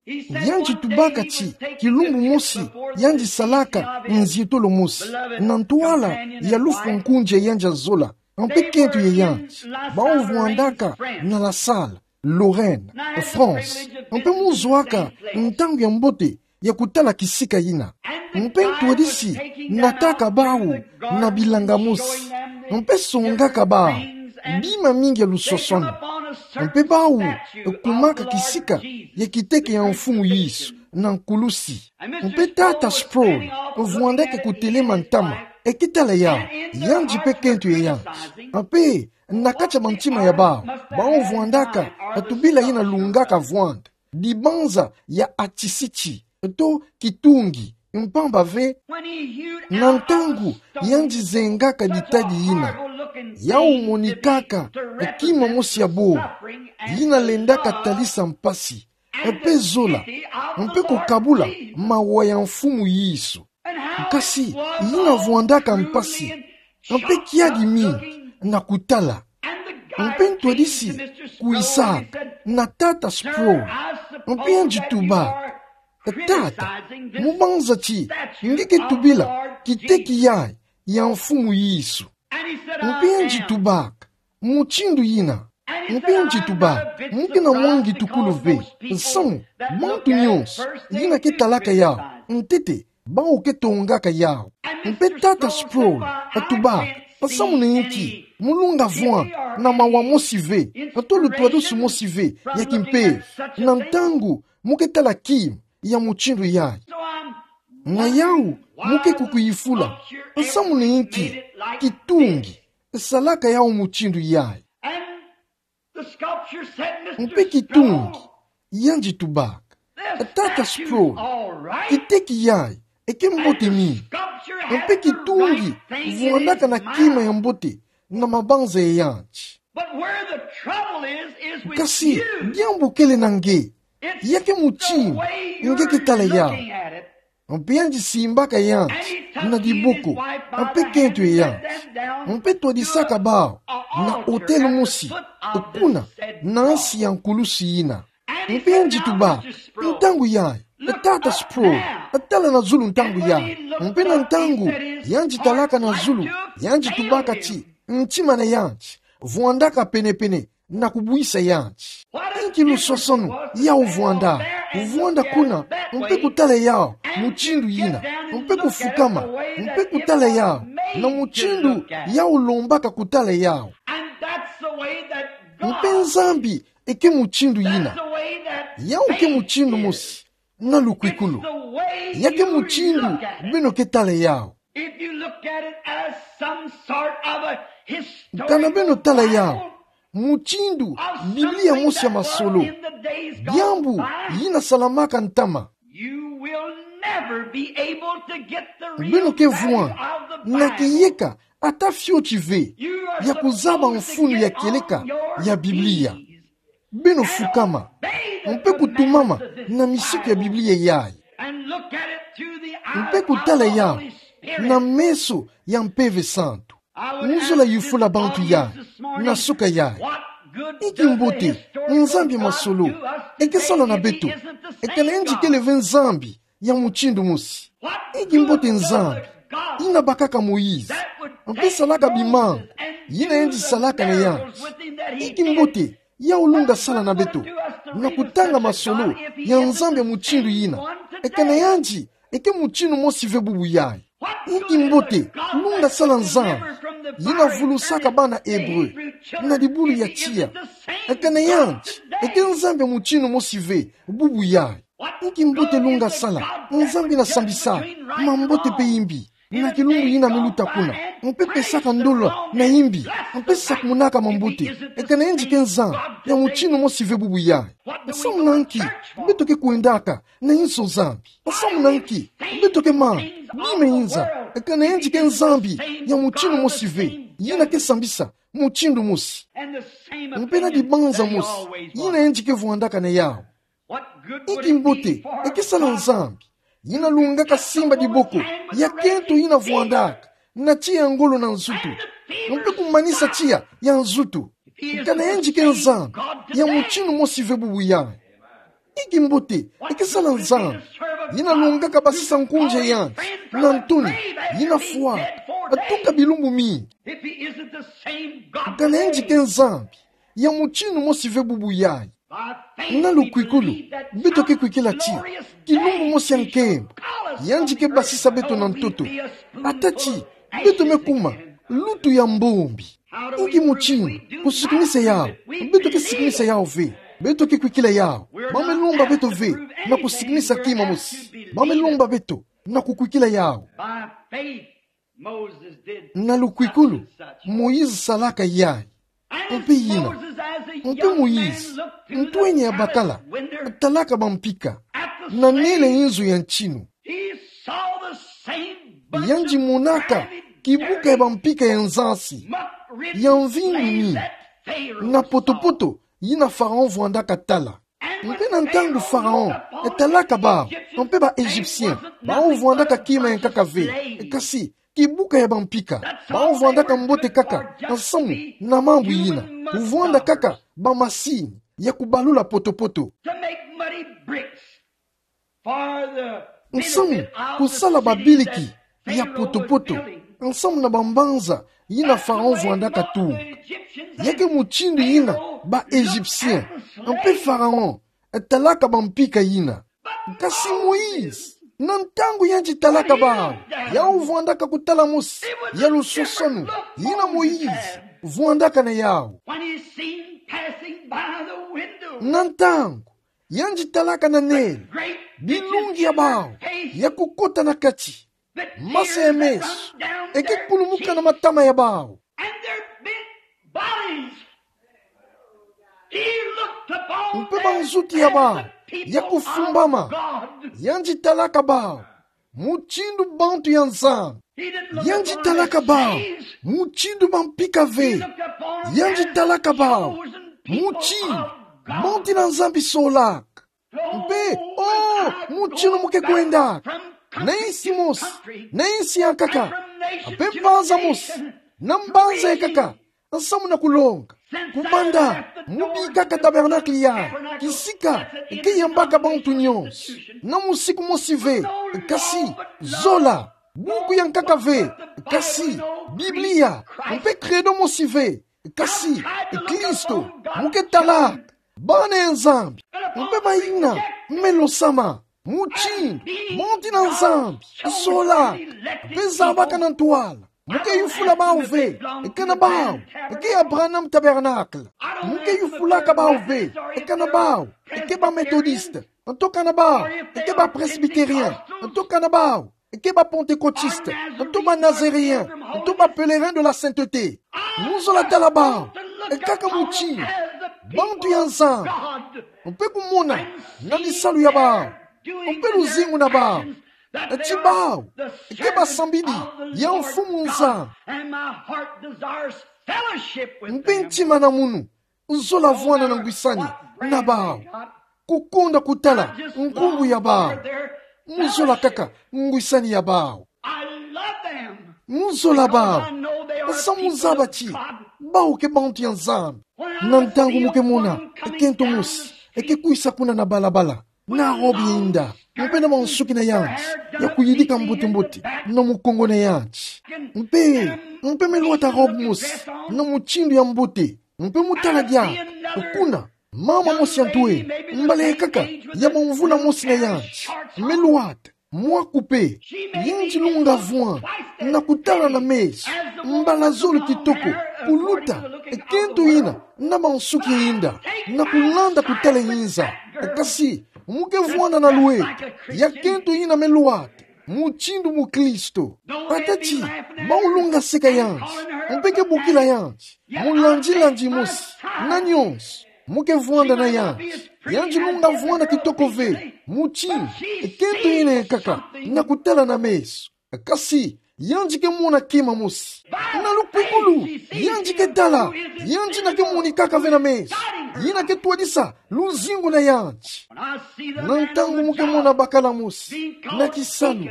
Yandi tubaka ti kilumbu mosi yandi salaka nzietolo mosi na ntwala ya lufwa nkunzi ya yandi ya zola, mpe kento ya yandi, bawu vwandaka na La Salle, Lorraine, France, mpe mu zwaka ntangu ya mbote ya kutala kisika yina. Mpe ntwadisi nataka bawu na bilanga mosi, mpe songaka bawu bima mingi ya luswaswanu. Mpe bawu kumaka kisika ya kiteke ya Mfumu Yesu na nkulusi. Mpe tata Sproul vwandaka kutelema ntama, e ke tala yawu, yandi mpe kento ya yandi. Mpe na kati ya bantima ya bawu, bawu vwandaka tubila yina lungaka vwanda dibanza ya atisiti, to kitungi, mpamba ve, na ntangu yandi zengaka ditadi yina, yawu monikaka kima mosi ya boro, yina lendaka talisa mpasi, mpe zola, mpe kukabula mawa ya Mfumu Yesu. Kasi yina vwandaka mpasi, mpe kiadi mingi na kutala. Mpe ntwadisi kwisaka na tata Sproul, mpe yandi tubaka: Tata, mu banza ti nge ke tubila kiteki yayi ya Mfumu Yesu? Mpe yandi tubaka: Mutindu yina. Mpe yandi tubaka: Mu ke na mwangi tukulu ve, samu bantu nyonso yina ke talaka yawu, ntete bawu ke tongaka yawu. Mpe tata Sproul tubaka: Samu na inki mu lunga vwanda na mawa mosi ve, to lutwadusu mosi ve ya kimpeve, na ntangu mu ke tala kima ya mutindu yayi? Na yawu mu ke kukuyifula: Samu na inki kitungi salaka yawu mutindu yayi? Mpe kitungi, yandi tubaka: Tata Sproul, kiteki yayi e ke mbote mingi. Mpe kitungi vwandaka na kima ya mbote na mabanza ya yandi. Kasi diambu kele na nge, ya ke mutindu nge ke tala yawu. Mpe yandi simbaka yandi na diboko, mpe kento ya yandi, mpe twadisaka bawu na otele mosi kuna, na nsi ya nkulusi yina. Mpe yandi tubaka: Ntangu yayi, tata Sproul, tala na zulu ntangu yayi. Mpe na ntangu yandi talaka na zulu, yandi tubaka ti ntima na yandi vwandaka penepene na kubwisa yandi. Inki luswaswanu yawu vwandaka? Vwanda kuna, mpe kutala yawu mutindu yina, mpe kufukama, mpe kutala yawu na mutindu yawu lombaka kutala yawu. Mpe Nzambi e ke mutindu yina. Yawu ke mutindu mosi na lukwikulu. Ya ke mutindu beno ke tala yawu. If you look at it as some sort of a historical Kana beno tala yawu Bible mutindu of Biblia something mosi ya that masolo, was in the days gone diambu by, yina salamaka ntama, You will never be able to get the real value of the Bible. Beno ke vwanda na kiyeka ata fioti ve ya kuzaba mfunu ya kieleka ya Biblia. Beno fukama, mpe kutumama na misiku ya Biblia yayi. And look at it through the eyes of the Holy Spirit. Mpe kutala yawu na meso ya Mpeve Santu. Ngizola yufula bantu yayi na suka yayi: Inki mbote Nzambi masolo eke sala na beto? Eka nayandi kele ve Nzambi ya mutindu mosi. Inki mbote Nzambi yina bakaka Moïse, mpe salaka bimangu yina yandi salaka na yandi? Inki mbote yawu lunga sala na beto na kutanga masolo ya Nzambi ya mutindu yina? Eka nayandi eke mutindu mosi ve bubu yayi. Inki mbote lunga sala Nzambi yina vulusaka bana Hébreu na dibulu ya tiya? Eka nayandi eke Nzambi ya mutindu mosi ve bubu yayi. Inki mbote lunga sala Nzambi yina sambisaka mambote mpe imbi na kilumbu yina miluta kuna, mpe pesaka ndolo na imbi, mpe sakumunaka mambote? Eka nayandi ke Nzambi ya mutindu mosi ve bubu yayi. Nsamu na nki beto ke kwendaka na inso Nzambi? Nsamu na nki beto ke manga bima inza, eka nayandi ke Nzambi ya mutindu mosi ve, yina ke sambisa mutindu mosi, mpe na dibanza mosi yina yandi ke vwandaka na yawu? Inki mbote eke sala Nzambi yina lungaka simba diboko ya kento yina vwandaka na tiya ya ngolo na nzutu, mpe kumanisa tiya ya nzutu? Eka nayandi ke Nzambi ya mutindu mosi ve bubu yayi. Inki mbote eke sala Nzambi yina lungaka basisa nkunzi ya yandi na ntoni yina fwaka, tuka bilumbu mingi? Eka nayandi ke Nzambi ya mutindu mosi ve bubu yayi. Na lukwikulu beto ke kwikila ti kilumbu mosi ya nkembo yandi ke basisa beto na ntoto, ata ti beto me kuma lutu ya mbombi. Inki mutindu kusikimisa yawu? Beto ke sikimisa yawu ve. Beto ke kwikila yawu. Ba me lomba beto ve na kusikimisa kima mosi. Ba me lomba beto na kukwikila yawu. By faith, Moses did such and such. Na lukwikulu Moïse salaka yayi. Mpe yina, mpe Moïse, ntwenya ya bakala, talaka bampika na nele inzo ya ntinu. Yandi monaka kibuka ya bampika ya nzansi, ya mvindu mingi, na potopoto yina Pharaon vwandaka tala. Mpe na ntangu Pharaon talaka bawu, mpe ba Égyptiens, bawu vwandaka kima ya nkaka ve, kasi kibuka ya bampika, bawu vwandaka mbote kaka nsamu na mambu yina, kuvwanda kaka bamasini ya kubalula potopoto. To make muddy bricks for the benefit of the cities that Pharaoh was building. Nsamu kusala babiliki ya potopoto nsamu na bambanza yina Pharaon vwandaka tunga. Ya ke mutindu yina ba Égyptiens, mpe Pharaon, talaka bampika yina. Kasi Moïse, na ntangu yandi talaka bawu, yawu vwandaka kutala mosi ya lusosono yina Moïse vwandaka na yawu. When he seen passing by the window, na ntangu yandi talaka na nele bilungi ya bawu ya kukota na kati, masa ya meso eke kulumuka na matama ya bawu. And their bent bodies, he looked upon them as the people of God. Mpe banzutu ya bawu ya kufumbama, yandi talaka bawu mutindu bantu ya Nzambi. He didn't look upon the sheep. Yandi talaka bawu mutindu bampika ve. He looked upon them as the chosen people of God. Yandi talaka bawu mutindu bantu yina Nzambi solaka. Mpe, oh, mutindu mu ke kwendaka na insi mosi na insi ya nkaka, mpe mbanza mosi na mbanza ya nkaka, nsamu na kulonga. Kubanda mu bikaka tabernacle yayi, kisika ke yambaka bantu nyonso, na musiku mosi ve, kasi zola, buku ya nkaka ve, kasi Biblia, mpe credo mosi ve, kasi Kristo mu ke talaka bana ya Nzambi. Mpe ba yina me losama mutindu bantu yina Nzambi solaka mpe zabaka na ntwala, mu ke yufula bawu ve kana bawu ke ya Branham Tabernacle. Mu ke yufulaka bawu ve kana bawu ke ba Methodiste, nto kana bawu ke ba Presbytérien, nto kana bawu ke ba Pentecôtiste, nto ba Nazaréen, nto ba Pèlerins de la Sainteté. Mu zola tala bawu kaka mutindu bantu ya Nzambi, mpe kumona na bisalu ya bawu Mpe luzingu na bawu, ti bawu eke basambidi ya Mfumu Nzambi. Mpe ntima na munu, nzola vwanda na ngwisani na bawu. Kukonda kutala nkumbu ya bawu. Mu zola kaka ngwisani ya bawu. Mu zola bawu. Samu nzabati bawu ke bantu ya Nzambi. Na ntangu mu ke mona kento mosi eke kwisa kuna na balabala na robe ya inda, mpe na mansuki na yandi ya kuyidika mbote-mbote, na mukongo na yandi. Mpe, mpe melwata robe mosi na mutindu ya mbote. Mpe mu tala diaka kuna mama mosi ya ntwene, mbala kaka ya bamvula mosi na yandi, melwata mwa kupe. Yandi lunga vwanda na kutala na meso, mbala zole kitoko, kuluta kento yina na mansuki ya inda, na kulanda kutala yinza. Kasi mu ke vwanda na lweta ya kento yina melwata mutindu mukristo. Ata ti bawu lunga seka yandi, mpe ke bokila yandi mulandi-landi mosi na nyonso. Mu ke vwanda na yandi, yandi lunga vwanda kitoko ve mutindu kento yina ya nkaka na kutala na meso. Kasi yandi ke mona kima mosi na lukwikulu. Yandi ke tala, yandi na ke monikaka ve na meso. Yina ke twadisa luzingu na yandi. Na ntangu mu ke mona bakala mosi na kisalu,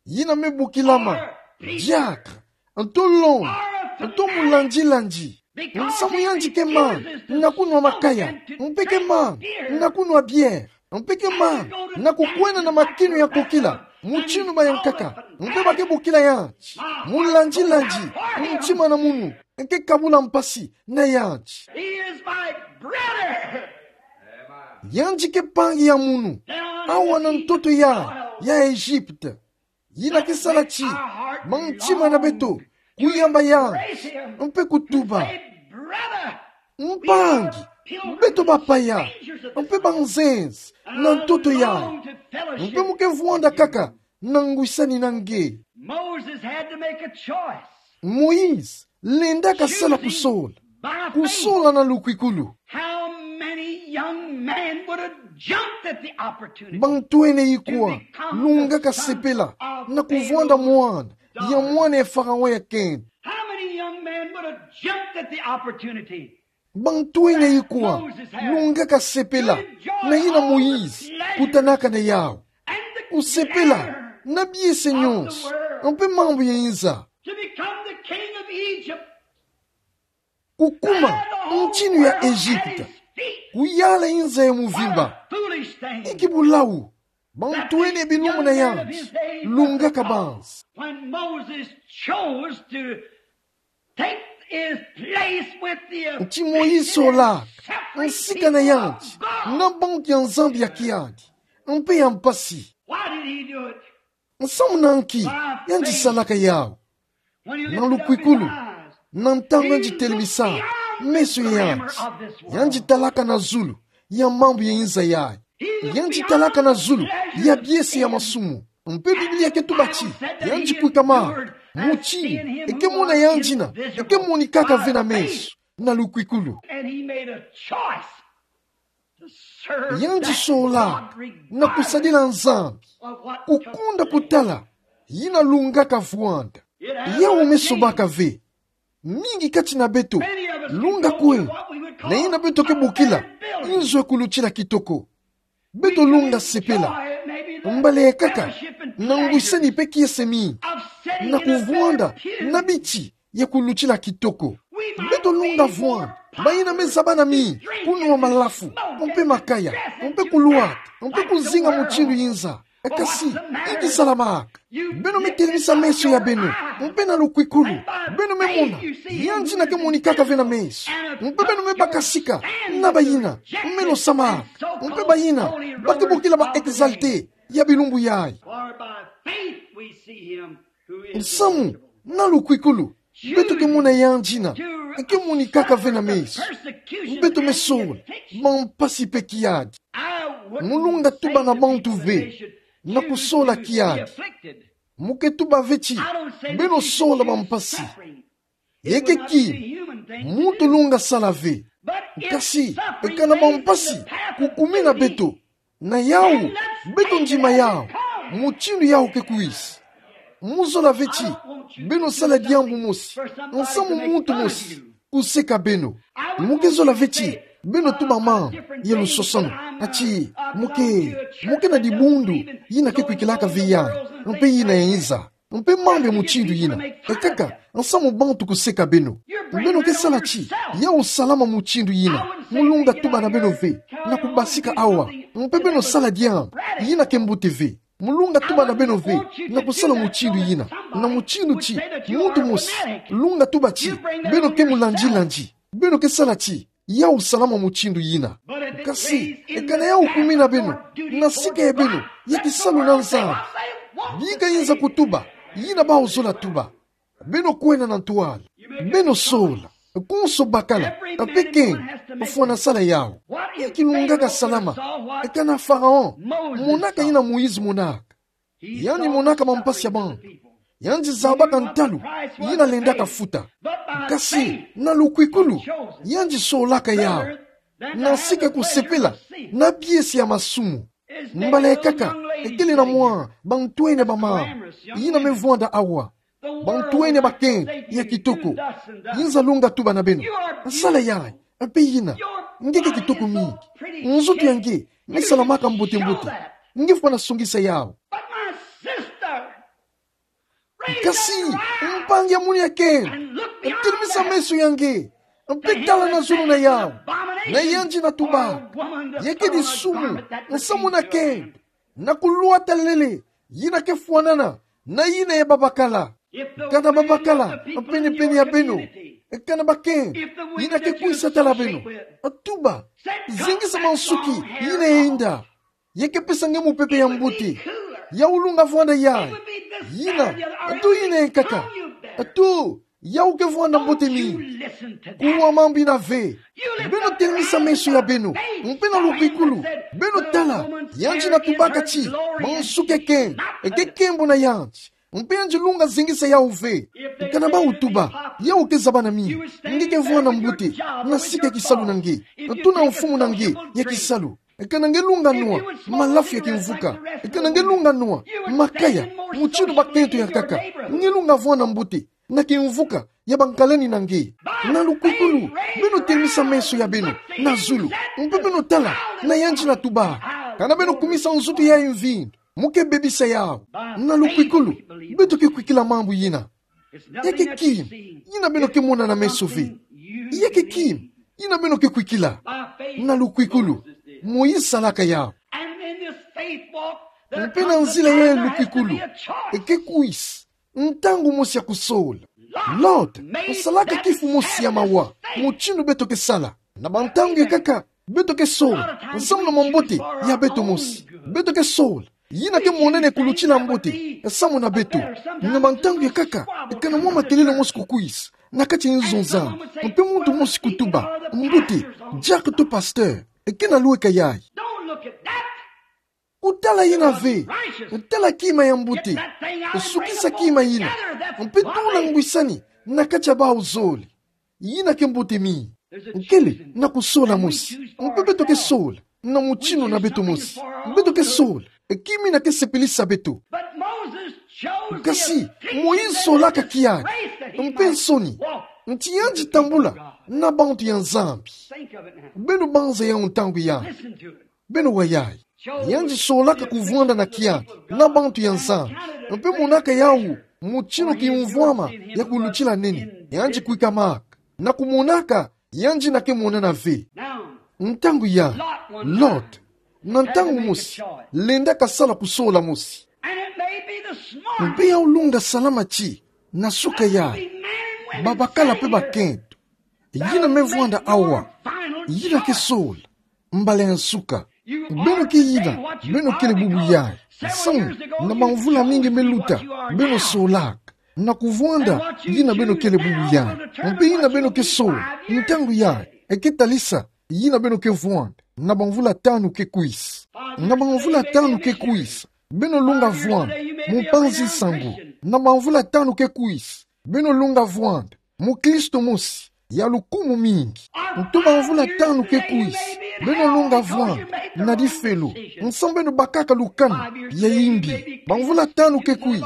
yina me bokilama diacre, nto longo, nto mulandi-landi, nsamu yandi ke mana na kunwa makaya, mpe ke mana na kunwa bière, mpe ke mana na kukwenda na makinu ya kokila mutindu ba ya nkaka, mpe ba ke bokila yandi mulandi-landi. Ntima na munu ke kabula mpasi na yandi. He is my brother. Yandi ke mpangi ya munu awa na ntoto ya, ya Egypte. Yina ke sala ti mantima na beto kuyamba yandi, mpe kutuba: Mpangi, beto bapaya mpe banzenze na ntoto yayi, mpe mu ke vwanda kaka na ngwisani na nge. Moses had to make a choice. Moïse lenda kasala kusola, kusola na lukwikulu. How many young men would have jumped at the opportunity? Bantwene ikwa lunga kasepela na kuvwanda mwana ya mwana ya Faraon ya kento? How many young men would have jumped at the opportunity? Bantwene ikwa lunga kasepela na yina Moïse kutanaka na yawu? Kusepela na biese nyonso mpe mambu ya inza. To become the king of Egypt. Kukuma mutinu ya Egypte, kuyala inza ya muvimba. What a foolish thing. Inki bulau bantwene bilumbu na yandi lunga kabanza? When Moses chose to take his place with the Nti Moïse olaka nsika na yandi na bantu ya Nzambi ya kiadi mpe ya mpasi. Why did he do it? Nsamu na nki yandi salaka yawu? Na lukwikulu, na ntangu yandi telemisa meso ya yandi, yandi talaka na zulu ya mambu ya inza yayi. Yandi talaka na zulu ya biese ya masumu. Mpe Biblia ke tuba ti yandi kwikama mutinu eke mona yandi na eke monikaka ve na meso na lukwikulu. And he made a choice to serve that God regardless of what took place. Yandi sola na kusadila Nzambi, kukunda kutala yina lunga kavwanda. Yawu me sobaka ve. Mingi kati na beto lunga kwe na yina beto ke bokila inzo ya kulutila kitoko. Beto lunga sepela mbala ya nkaka na ngwisani mpe kiese mingi na kuvwanda na biti ya kulutila kitoko. Beto lunga vwanda bayina me zabana mingi kunwa malafu mpe makaya mpe kulwata mpe kuzinga mutinu inza. Kasi inki salamaka? Beno me telemisa meso ya beno mpe na lukwikulu, beno me mona yandi na ke monikaka ve na meso. Mpe beno me bakasika na bayina me losamaka, mpe bayina ba ke bokila ba exaltés ya bilumbu yayi. For by faith we see him who is Nsamu invisible. Na lukwikulu beto ke mona yandi na eke monikaka ve na meso. Beto me sola bampasi mpe kiadi. Mu lunga tuba na bantu ve na kusola kiadi. Mu ke tuba ve ti beno sola bampasi. Eke kima muntu lunga sala ve. Kasi eka na bampasi kukumina beto, Na yau, beto ndima yau, mutindu yau ke kwisa. Mo zola ve ti beno sala diambu mosi nsamu muntu mosi kuseka beno. Mo ke zola ve ti beno tuba mambu ya lusosano, ati, mo ke, mo ke na dibundu yina ke kwikilaka ve yai, mpe yina ya iza, mpe mambu ya mutindu yina. Ekaka nsamu bantu kuseka beno. Beno ke sala ti yau salama mutindu yina. Mo lunga tuba na beno ve, na kubasika awa, mpe beno sala diambu yina ke mbote ve. Mo lunga tuba na beno ve, na kusala mutindu yina, na mutindu ti muntu mosi lunga tuba ti beno ke mulandilandi. Beno ke sala ti yau salama mutindu yina. Kasi, ekana yau kumina beno na sika ya beno ya kisalu na Nzambi, bika inza kutuba, yina bau zola tuba. Beno kwenda na ntwala, beno sola, konso bakala, mpe kenge, fwana sala yau. Nki kilungaka salama? Ekana Faraon monaka yina Moïse monaka. Yandi monaka mampasi ya bantu. Yandi zabaka ntalu yina lendaka futa. Kasi na lukwikulu, yandi solaka yau na sika kusepela na biesi ya masumu. Mbala ya nkaka, ekele na mwa bantwenia bamama yina me vwanda awa. Bantwenia bakenge ya kitoko. Inza lunga tuba na beno: Sala yai, mpe yina, nge ke kitoko mingi. Nzoto ya nge me salamaka mbote-mbote. Nge fwana songisa yau. But my sister, raise up your eyes. Kasi, mpangi ya mono ya nkento, and look beyond that. Telemisa meso ya nge, mpe tala na zulu na yau. Na yandi na tuba: Ya kedi sumu nsamu na nkento, na kulwata lele yina ke fwanana na yina ya babakala. Kana babakala pene-pene ya beno, kana bakenge yina ke kwisa tala beno, tuba, zengisa mansuki yina ya inda, ya ke pesa nge mupepe ya mbote. Yau lunga vwanda yai. Yina, to yina ya nkaka, to yau ke vwanda mbote mingi. Kuwa mambu yina ve. Beno telemisa meso ya beno, mpe na lukwikulu beno tala. Yandi na tubaka ti mansuki ya nkento eke kembo na yandi, mpe yandi lunga zengisa yau ve. Kana bau tuba: Yau ke zaba na mimi, nge ke vwanda mbote na sika ya kisalu na nge, to na mfumu na nge ya kisalu. Kana nge lunga nwa malafu ya kimvuka, kana nge lunga nwa makaya mutindu bakento ya nkaka, nge lunga vwanda mbote na kimvuka ya bankalani na nge. Na lukwikulu beno telemisa meso ya beno na zulu, mpe beno tala. Na yandi na tuba: Kana beno kumisa nzoto yai mvindu, mo ke bebisa yau. Na lukwikulu beto ke kwikila mambu yina. Ya ke kima yina beno ke mona na meso ve. Ya ke kima yina beno ke kwikila. Na lukwikulu Moïse salaka yau. Mpe na nzila ya lukwikulu, eke kwisa ntangu mosi ya kusola. Lot, salaka kifu mosi ya mawa mutindu beto ke sala. Na bantangu ya nkaka beto ke sola nsamu na mambote ya beto mosi. Beto ke sola yina ke monene kulutila mbote nsamu na beto. Na bantangu ya nkaka, kana mwa makelele mosi kukwisa na kati ya nzo Nzambi, mpe muntu mosi kutuba: Mbote, diacre to pasteur, kana lweka yai. Don't look at that. Kutala yina ve. Tala kima ya mbote. Sukisa kima yina, mpe tula ngwisani na kati ya bau zole. Yina ke mbote mingi. Kele na kusola mosi, mpe beto ke sola na mutindu na beto mosi. Beto ke sola kima yina ke sepelisa beto. Kasi Moïse solaka kiaki, mpe nsoni, nti yandi tambula na bantu ya Nzambi. Beno banza yau ntangu yai. Beno wa yai. Yandi solaka kuvwanda na kiaki na bantu ya Nzambi, mpe monaka yau mutindu kimvwama ya kulutila nene. Yandi kwikamaka na kumonaka yandi na ke monana ve. Ntangu yai, Lot, na ntangu mosi, lendaka sala kusola mosi. Mpe yau lunga salama ti na suka yai, babakala mpe bakento, yina me vwanda awa, yina ke sola mbala ya nsuka. Beno ke yina beno kele bubu yai. Nsangu, na bamvula mingi me luta, beno solaka na kuvwanda yina beno kele bubu yai. Mpe yina beno ke sola ntangu yai, eke talisa yina beno ke vwanda na bamvula tanu ke kwisa. Na bamvula tanu ke kwisa, beno lunga vwanda mupanzi nsangu. Na bamvula tanu ke kwisa, beno lunga vwanda mukristo mosi ya lukumu mingi. Nto bamvula tanu ke kwisa, Beno longa vwanda na difelo, nsamu beno bakaka lukanu ya imbi. Bamvula tanu ke kwisi,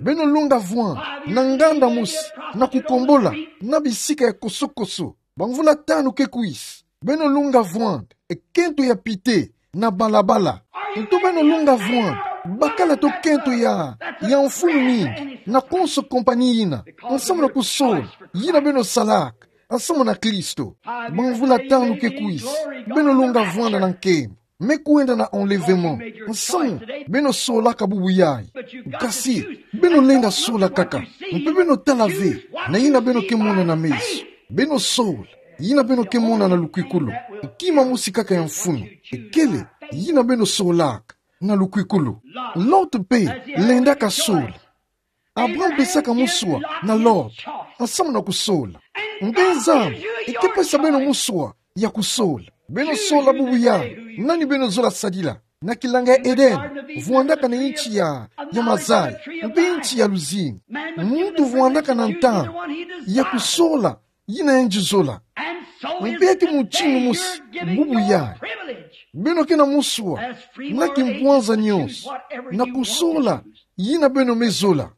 beno longa vwanda na nganda mosi, na kukombola, na bisika ya kosokoso. Bamvula tanu ke kwisi, beno longa vwanda, e kento ya pite, na balabala. Nto beno longa vwanda, bakala to kento ya, ya mfunu mingi, na konso kompani yina, nsamu na kusola, yina beno salaka, nsamu na Kristo. Bamvula tanu ke kwisi, beno longa vwanda na nkembo. Me kwenda na enlèvement, nsamu, beno solaka bubu yayi. Kasi, beno lenga sola kaka, mpe beno tala ve, na yina beno ke mona na meso. Beno sola, yina beno ke mona na lukwikulu. Kima mosi kaka ya mfunu, kele, yina beno solaka, na lukwikulu. Lot mpe, lendaka sola. Abraham pesaka muswa na Lot, nsamu na kusola. Mpe Nzambi, e ke pesa beno muswa ya kusola. Beno sola bubu yayi, nani beno zola sadila. Na kilanga ya Eden, vwandaka na nti ya, ya mazayi, mpe nti ya luzingu. Muntu vwandaka na ntangu ya kusola, yina yandi zola. Mpe ya ke mutindu mosi, bubu yayi. Beno ke na muswa, na kimpwanza nyonso, na kusola, yina beno me zola.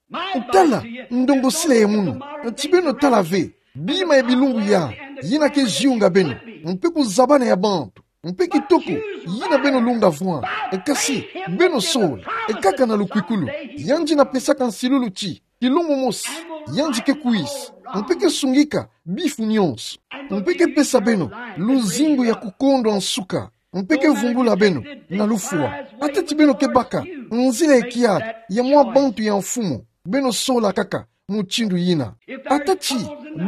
Tala, ndongosila ya munu, ti beno tala ve, bima ya bilumbu yayi, yina ke zionga beno, mpe kuzabana ya bantu, mpe kitoko, yina beno longa vwanda, e kasi, beno sola, e kaka na lukwikulu, yandi na pesaka nsilulu ti, kilumbu mosi, yandi ke kwisa, mpe ke sungika bifu nyonso, mpe ke pesa beno luzingu ya kukondwa nsuka, mpe ke vumbula beno na lufwa. Ata ti beno ke baka nzila ya kiadi ya mwa bantu ya mfumu, beno sola kaka mutindu yina. Ata ti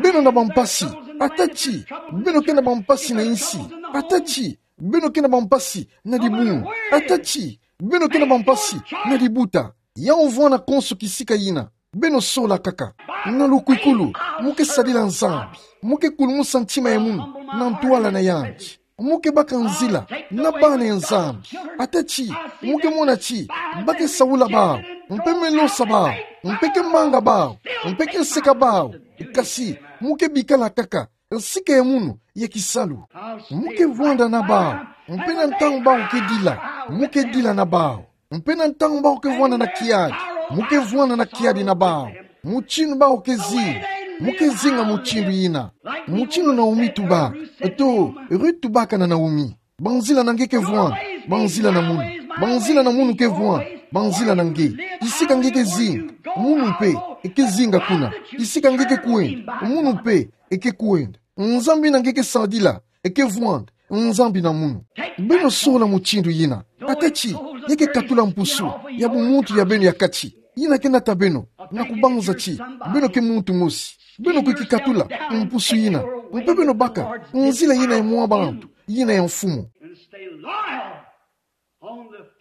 beno na bampasi, ata ti beno ke na bampasi na insi, ata ti beno ke na bampasi na dibungu, ata ti beno ke na bampasi na dibuta, ya ovwanda konso kisika yina, beno sola kaka. Na lukwikulu, mu ke sadila Nzambi, mu ke kulumusa ntima ya munu na ntwala na yandi, mu ke baka nzila na bana ya Nzambi. Ata ti mu ke mona ti ba ke saula bawu, mpe me losa bawu, mpe ke manga bawu, mpe ke seka bawu, kasi mu ke bikala kaka nsika ya munu ya kisalu. Mu ke vwanda na bawu, mpe na ntangu bawu ke dila, mu ke dila na bawu. Mpe na ntangu bawu ke vwanda na kiadi, mu ke vwanda na kiadi na bawu. Mutindu bawu ke zinga, mu ke zinga mutindu yina. Mutindu Naomi tubaka, to Ruth tubaka na Naomi. Banzila na nge ke vwanda, banzila na munu. Banzila na munu ke vwanda, banzila na nge. Kisika nge ke zinga, munu mpe e ke zinga kuna. Kisika nge ke kwenda, munu mpe e ke kwenda. Nzambi na nge ke sadila e ke vwanda, Nzambi na munu. Beno sola mutindu yina. Ata ti ya ke katula mpusu ya bumuntu ya beno ya kati, yina ke nata beno na kubanza ti beno ke muntu mosi. Beno kwe ki katula mpusu yina, mpe beno baka nzila yina ya mwa bantu, yina ya mfumu.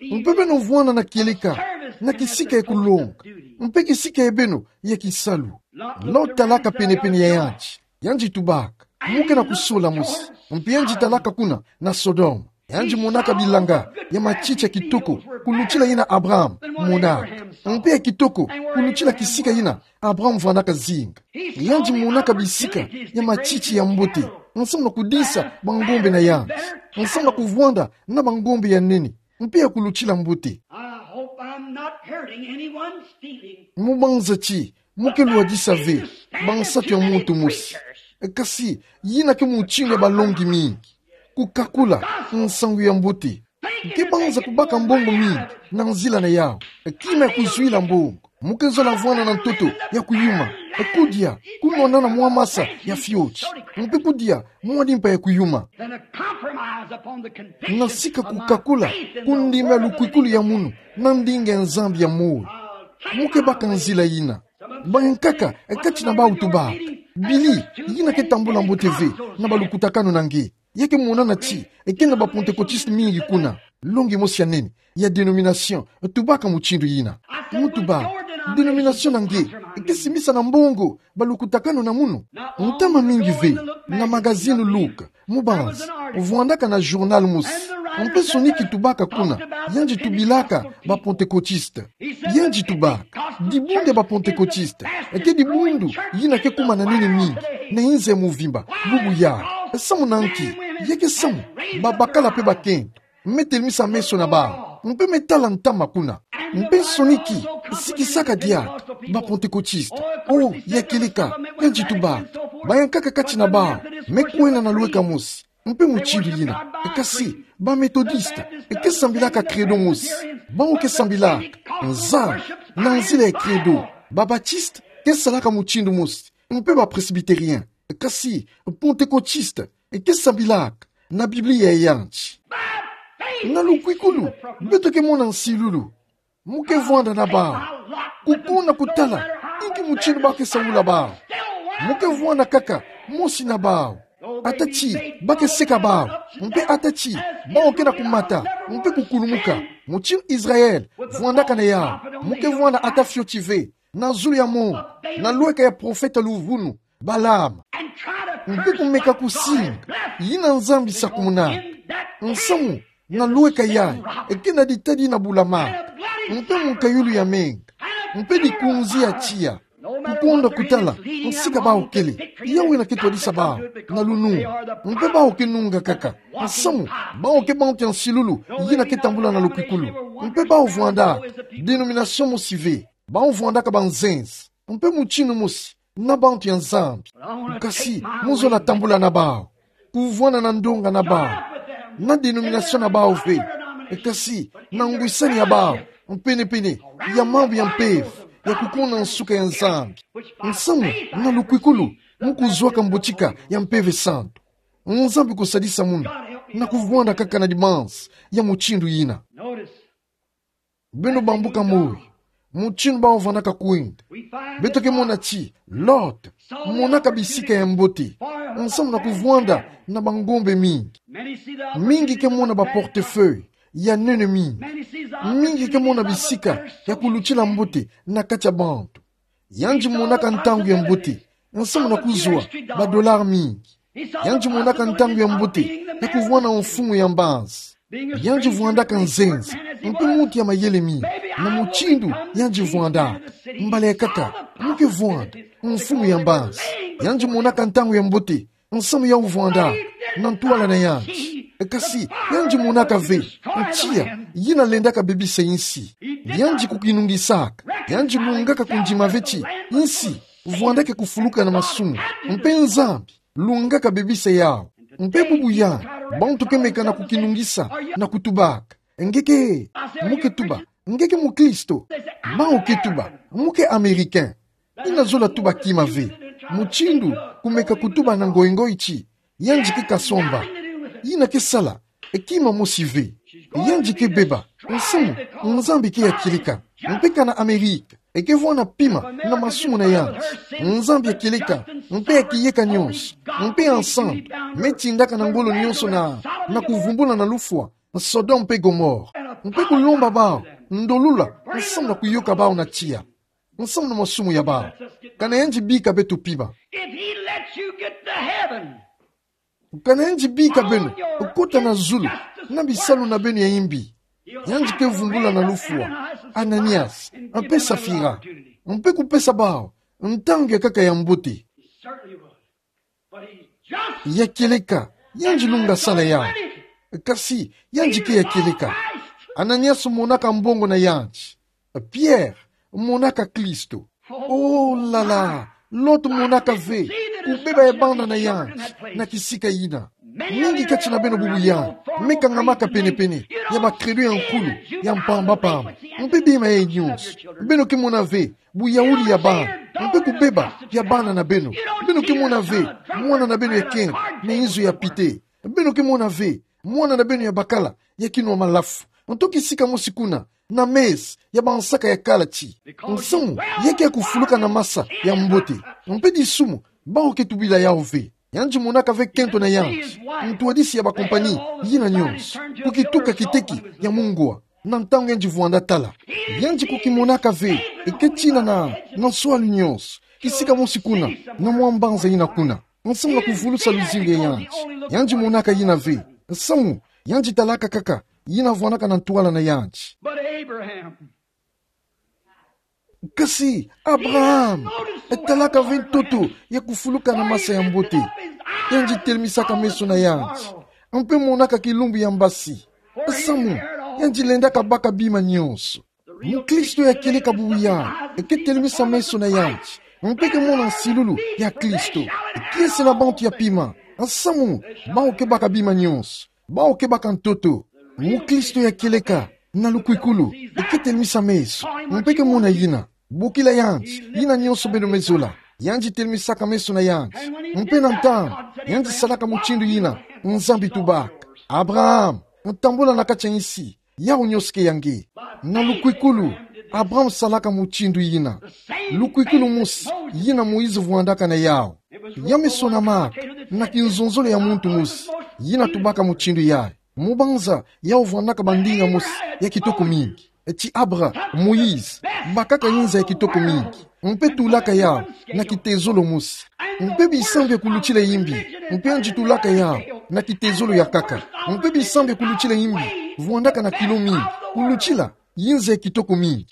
Mpe beno vwanda na kieleka na kisika ya kulonga, mpe kisika ya beno ya kisalu. Lot talaka penepene ya yandi, yandi tubaka, mu ke na kusola mosi. Mpe yandi talaka kuna na Sodome, yandi monaka bilanga ya matiti ya kitoko, kulutila yina Abraham monaka, mpe ya kitoko kulutila kisika yina Abraham vwandaka zinga. Yandi monaka bisika ya matiti ya mbote, nsamu na kudisa bangombe na yandi, nsamu na kuvwanda na bangombe ya nene, mpe ya kulutila mbote. I hope I'm not hurting anyone's feelings. Mu banza ti mu ke lwadisa ve bansatu ya muntu mosi. Kasi yina ke mutindu ya balongi mingi, kukakula nsangu ya mbote. Ke banza kubaka mbongo mingi na nzila na yawu, kima ya kuzwila mbongo. Mu ke zola vwanda na ntoto ya kuyuma, kudia, kunwanana mwa masa ya fioti, mpe kudia mwa dimpa ya kuyuma. Then a compromise upon the condition of my faith in the word of the living God. Na sika kukakula ku ndima ya lukwikulu ya munu na ndinga ya Nzambi ya moyo. Mu ke baka nzila yina. Bankaka kati na bawu tubaka: Billy, yina ke tambula mbote ve na balukutakanu na nge. Ya ke monana ti ke na ba Pentecôtistes mingi kuna. Longi mosi ya nene ya dénomination tubaka mutindu yina. Mu tuba: Dénomination na nge ke simbisa na mbongo balukutakanu na munu? Ntama mingi ve, na magazine Look, mu banza, vwandaka na journal mosi, mpe soni ki tubaka kuna, yandi tubilaka ba Pentecôtistes. Yandi tubaka: Dibundu ya ba Pentecôtistes ke dibundu yina ke kuma na nene mingi na inza ya mvimba bubu yayi. Samu na nki? Ya ke samu, babakala mpe bakento me telemisa meso na bawu, mpe me tala ntama kuna. Mpe nsoni ki sikisaka diaka ba Pantekotiste. O, ya kieleka, yandi tubaka. Bayankaka kati na bawu me kwena na lueka mosi, mpe mutindu yina. Kasi ba Metodiste ke sambilaka Credo mosi. Bawu ke sambilaka Nzambi na nzila ya Credo. Ba Batiste ke salaka mutindu mosi, mpe ba Presbytérien. Kasi Pantekotiste ke sambilaka na Biblia ya yandi. Na lukwikulu, beto ke mona nsilulu. Mu ke vwanda na bawu, kukuna kutala inki mutindu ba ke saula bawu. Mu ke vwanda kaka mosi na bawu. Ata ti ba ke seka bawu, mpe ata ti bawu ke na kumata mpe kukulumuka, mutindu Israël vwandaka na yawu, mu ke vwanda ata fioti ve na zulu ya mongo, na lueka ya profeta luvunu Balaam. Mpe kumeka kusinga yina Nzambi sakumunaka. Nsamu na lueka yayi ke na ditadi na bulama, mpe mukayulu ya menga, mpe dikunzi ya tiya. Kukonda kutala nsika bawu kele, yawu yina ke twadisa bawu na lunungu. Mpe bawu ke nunga kaka. Nsamu bawu ke bantu ya nsilulu yina ke tambula na lukwikulu. Mpe bawu vwandaka denomination mosi ve. Bawu vwandaka banzenza, mpe mutindu mosi na bantu ya Nzambi. Kasi mu zola tambula na bawu, kuvwanda na ndonga na bawu, na denomination na bawu ve, kasi na ngwisani ya bawu mpene-pene ya mambu ya mpeve ya kukuna nsuka ya Nzambi. Nsamu na lukwikulu mu kuzwaka mbotika ya Mpeve Santu. Nzambi kusadisa munu na kuvwanda kaka na dimansa ya mutindu yina. Beno bambuka moyo, mutindu bawu vwandaka kwenda. Beto ke mona ti Lot monaka bisika ya mbote, nsamu na kuvwanda na bangombe mingi. Mingi ke mona ba portefeuille ya nene mingi. Mingi ke mona bisika ya kulutila mbote na kati ya bantu. Yandi monaka ntangu ya mbote, nsamu na kuzwa ba dollars mingi. Yandi monaka ntangu ya mbote ya kuvwanda mfumu ya mbanza. Yandi vwandaka nzenza, mpe muntu ya mayele mingi. Na mutindu yandi vwandaka, mbala ya nkaka mu ke vwanda mfumu ya mbanza. Yandi monaka ntangu ya mbote, nsamu yawu vwandaka na ntwala na yandi. Kasi yandi monaka ve tiya yina lendaka bebisa insi. Yandi kukinungisaka. Yandi lungaka kundima ve ti insi vwandaka kufuluka na masumu, mpe Nzambi lungaka bebisa yawu. Mpe bubu yandi, bantu ke meka na kukinungisa na kutubaka: Nge ke, mu ke tuba nge ke mukristo? Bawu ke tuba: Mu ke Américain. Yina zola tuba kima ve. Mutindu kumeka kutuba na ngoingoi ti yandi ke kasomba, yina ke sala kima mosi ve. Yandi ke beba, nsamu Nzambi ke ya kieleka. Mpe kana Amérique ke vwanda pima na masumu na yandi, Nzambi ya kieleka mpe ya kiyeka nyonso, mpe ya nsantu, me tindaka na ngolo nyonso na, na kuvumbula na lufwa Sodome mpe Gomorrhe, mpe kulomba bawu ndolula nsamu na kuyoka bawu na tiya, nsamu na masumu ya bawu. Kana yandi bika beto pima. If he lets you get to heaven, kana yandi bika beno kota na zulu na bisalu na beno ya imbi, yandi ke vumbula na lufwa Ananias mpe Safira, mpe kupesa bawu ntangu ya nkaka ya mbote. He certainly would. Ya kieleka, yandi lunga sala yawu. Kasi yandi ke ya kieleka. Ananias monaka mbongo na yandi. Pierre monaka Kristo. Oh là là, Lot monaka ve kubeba ya bana na yandi na kisika yina. Mingi kati na beno bubu yandi me kangamaka pene-pene ya ba credo ya nkulu ya mpamba-pamba. Mpe bima yayi nyonso, beno ke mona ve buyauli ya bana, mpe kubeba ya bana na beno. Beno ke mona ve mwana na beno ya nkento na inzo ya pite. Beno ke mona ve mwana na beno ya bakala ya kinwa malafu nto kisika mosi kuna na mesa ya bansaka ya kala ti: Nsamu ya ke ya kufuluka na masa ya mbote. Mpe disumu bawu ke tubila yawu ve. Yandi monaka ve nkento na yandi, ntwadisi ya ba compagnie yina nyonso, kukituka kiteki ya mungwa na ntangu yandi vwanda tala. Yandi kukimonaka ve ke tina na, na nswalu nyonso, kisika mosi kuna na mwa mbanza yina kuna, nsamu na kuvulusa luzingu ya yandi. Yandi monaka yina ve, nsamu yandi talaka kaka yina vwandaka na ntwala na yandi. But Abraham, Kasi Abraham talaka ve ntoto ya kufuluka na masa ya mbote. Yandi telemisaka meso na yandi, mpe monaka kilumbu ya mbasi. Nsamu, yandi lendaka baka bima nyonso. Muklisto ya kieleka bubu yayi, eke telemisa meso na yandi, mpe ke mona nsilulu ya Kristo. Kiese na bantu ya pima. Nsamu, bawu ke baka bima nyonso. Bawu ke baka ntoto. Muklisto ya kieleka, na lukwikulu, eke telemisa meso, mpe ke mona yina. Bokila yandi, yina nyonso beno me zola. Yandi telemisaka meso na yandi. Mpe na ntangu yandi salaka mutindu yina, Nzambi tubaka: Abraham, tambula na kati ya insi yawu nyonso ke ya nge. Na lukwikulu, Abraham salaka mutindu yina. Lukwikulu mosi yina Moïse vwandaka na yawu. Ya me sonamaka na kinzonzolo ya muntu mosi yina tubaka mutindu yayi. Mu banza yawu vwandaka bandinga mosi ya kitoko mingi. Ti Abra, Moïse bakaka inza ya kitoko mingi, mpe tulaka yawu na kitezolo mosi. Mpe bisambu ya kulutila imbi, mpe yandi tulaka yawu na kitezolo ya nkaka. Mpe bisambu ya kulutila imbi vwandaka na kilo mingi, kulutila inza ya kitoko mingi.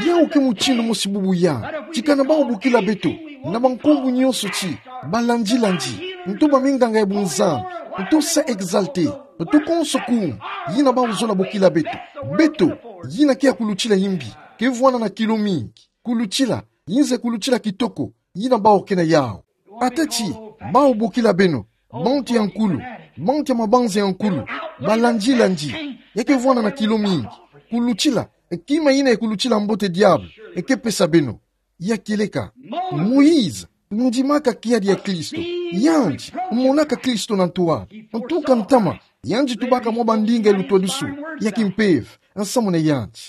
Yawu ke mutindu mosi bubu yayi. Ti kana bawu bokila beto na bankumbu nyonso ti balandilandi, nto baminganga ya bunzambi, nto saints exaltés, nto konso kuma yina bawu zola bokila beto. Beto, yina ke ya kulutila imbi, ke vwanda na kilo mingi, kulutila inza ya kulutila kitoko yina bawu ke na yawu. Ata ti bawu bokila beno bantu ya nkulu, bantu ya mabanza ya nkulu, balandilandi, ya ke vwanda na kilo mingi, kulutila kima yina ya kulutila mbote diabulu ke pesa beno. Ya kieleka, Moïse ndimaka kiadi ya Kristo. Yandi monaka Kristo na ntwala. Ntuka ntama, yandi tubaka mwa bandinga ya lutwadusu ya kimpeve nsamu na yandi.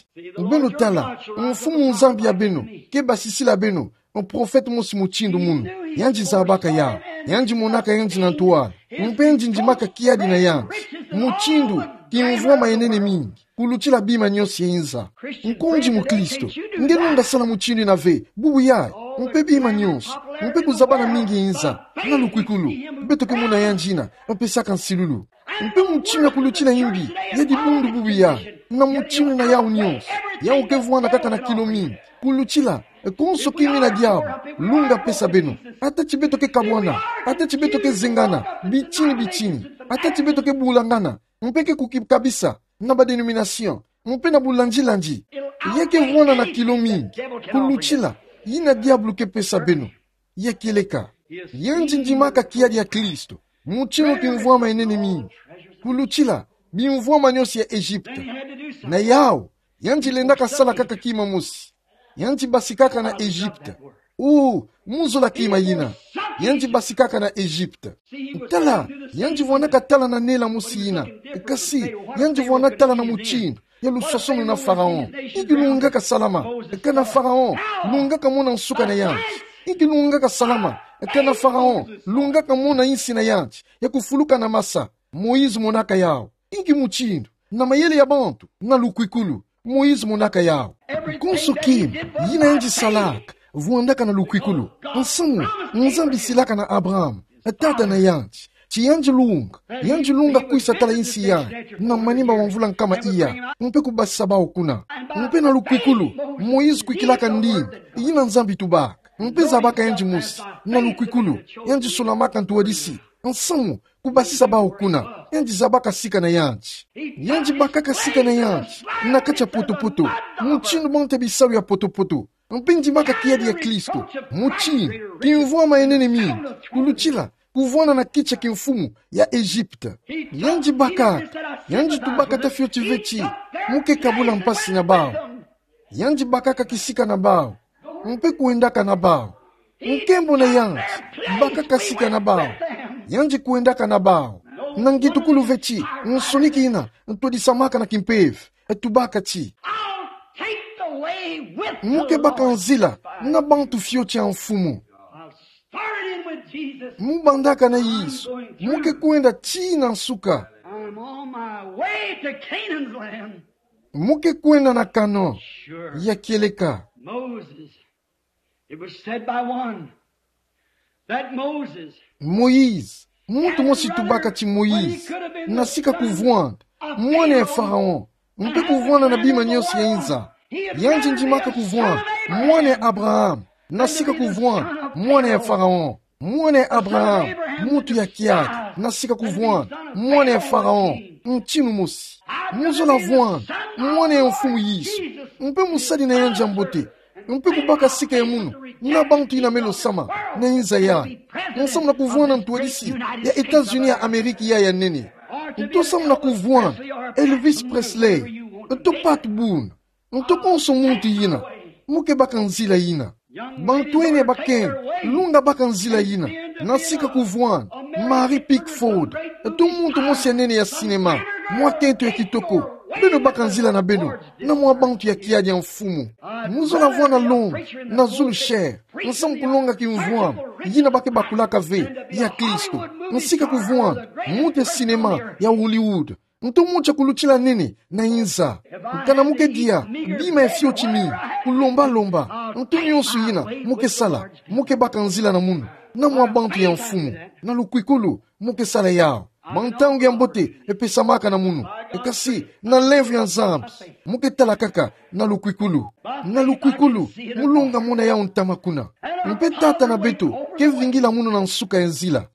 Beno tala, Mfumu Nzambi ya beno ke basisila beno muprofete mosi mutindu munu. Yandi zabaka yawu. Yandi monaka yandi na ntwala. Mpe yandi ndimaka kiadi na yandi mutindu kimvwama ya nene mingi kulutila bima nyonso ya inza. Nkonzi mukristo, nge lenda sala mutindu yina ve bubu yayi, mpe bima nyonso, mpe kuzabana mingi ya inza. Na lukwikulu, beto ke mona yandi yina mpesaka nsilulu. Mpe mutindu ya kulutila imbi ya dibundu bubu yayi, na mutindu na yawu nyonso, yawu ke vwanda kaka na kilo mingi, kulutila konso kima yina diabulu lunga pesa beno. Ata ti beto ke kabwana, ata ti beto ke zengana bitini bitini, ata ti beto ke bulangana, mpe ke kukikabisa na ba dénomination, mpe na bulandilandi, ya ke vwanda na kilo mingi kulutila yina diabulu ke pesa beno. Ya kieleka, yandi ndimaka kiadi ya Kristo mutindu kimvwama ya nene mingi kulutila bimvwama nyonso ya Egypte. Na yawu, yandi lendaka sala kaka kima mosi. Yandi basikaka na Egypte. Oh, mu zola kima yina. Yandi basikaka na Egypte. Tala, yandi vwandaka tala na nela mosi yina. Kasi yandi vwanda tala na mutindu ya luswaswanu na Pharaon. Inki lungaka salama kana Pharaon lungaka mona nsuka na yandi? Inki lungaka salama kana Pharaon lungaka mona insi na yandi ya kufuluka na masa? Moïse monaka yawu. Inki mutindu, na mayele ya bantu, na lukwikulu, Moïse monaka yawu? Konso kima yina yandi salaka vwandaka na lukwikulu. Nsamu, Nzambi silaka na Abraham, tata na yandi, ti yandi lunga, yandi lunga kwisa tala insi yayi na manima ma mvula nkama iya, mpe kubasisa bawu kuna. Mpe na lukwikulu, Moïse kwikilaka ndinga yina Nzambi tubaka, mpe zabaka yandi mosi. Na lukwikulu, yandi solamaka ntwadisi. Nsamu, kubasisa bawu kuna. Yandi zabaka sika na yandi. Yandi bakaka sika na yandi na kati ya potopoto, mutindu bantu ya bisalu ya potopoto. Mpe ndimaka kiadi ya Kristo mutindu kimvwama ya nene mingi kulutila kuvwanda na kiti ya kimfumu ya Egypte. Yandi bakaka, yandi tubaka ta fioti ve ti: Mu ke kabula mpasi na bawu. Yandi bakaka kisika na bawu, mpe kwendaka na bawu. Nkembo na yandi, bakaka sika na bawu, yandi kwendaka na bawu. Na ngitukulu ve ti nsoni kina ntwadisamaka na kimpeve, tubaka ti: I'll take the way with the Lord. Mu ke baka nzila na bantu fioti ya Mfumu. I'll start in with Jesus. Mu bandaka na Yesu, mu ke kwenda tii na nsuka. I'm on my way to Canaan's land. Mu ke kwenda na Canaan. Sure. Ya kieleka. Moses, it was said by one that Moses, Moïse, muntu mosi tubaka ti Moïse, na sika kuvwanda mwana ya Pharaon, mpe kuvwanda na bima nyonso ya inza. Yandi ndimaka kuvwanda mwana ya Abraham, na sika kuvwanda mwana ya Pharaon, mwana ya Abraham, muntu ya kiaki. Na sika kuvwani, mwana ya Faraon, ntinu mosi. Muzola vwani, mwana ya Mfumu Yesu. Mpe musadi na yandi ya mbote. Mpe kubaka sika ya munu na bantu ina meno sama na inza yayi. Nsamu na kuvwani ntwadisi ya États-Unis ya Ameriki ya ya nene. Nto samu na kuvwani Elvis Presley. Nto Pat Boone. Nto konso muntu ina. Mu ke baka nzila ina. Bantu ene bakenge, lunga baka nzila ina. Na sika kuvwani Mary Pickford. Nto muntu mosi ya nene ya sinema, mwa kento ya kitoko. Beno baka nzila na beno na mwa bantu ya kiadi ya Mfumu. Muzola vwani na Londres, na zulu Cher. Nsamu kulonga kimvwama ina ba ke bakulaka ve ya Kristo. Na sika kuvwani muntu ya sinema ya Hollywood. Nto muntu ya kulutila nene na inza. Kana mu ke dia bima ya fioti mingi, kulomba-lomba, nto nionso ina mu ke sala, mu ke baka nzila na munu na mwa bantu ya Mfumu. Na lukwikulu mu ke sala yawu. Mwa ntangu ya mbote epesamaka na munu. Kasi na nlemvo ya Nzambi, mu ke tala kaka na lukwikulu. Na lukwikulu, mu lunga mona yawu ntama kuna. Mpe Tata na beto ke vingila munu na nsuka ya nzila.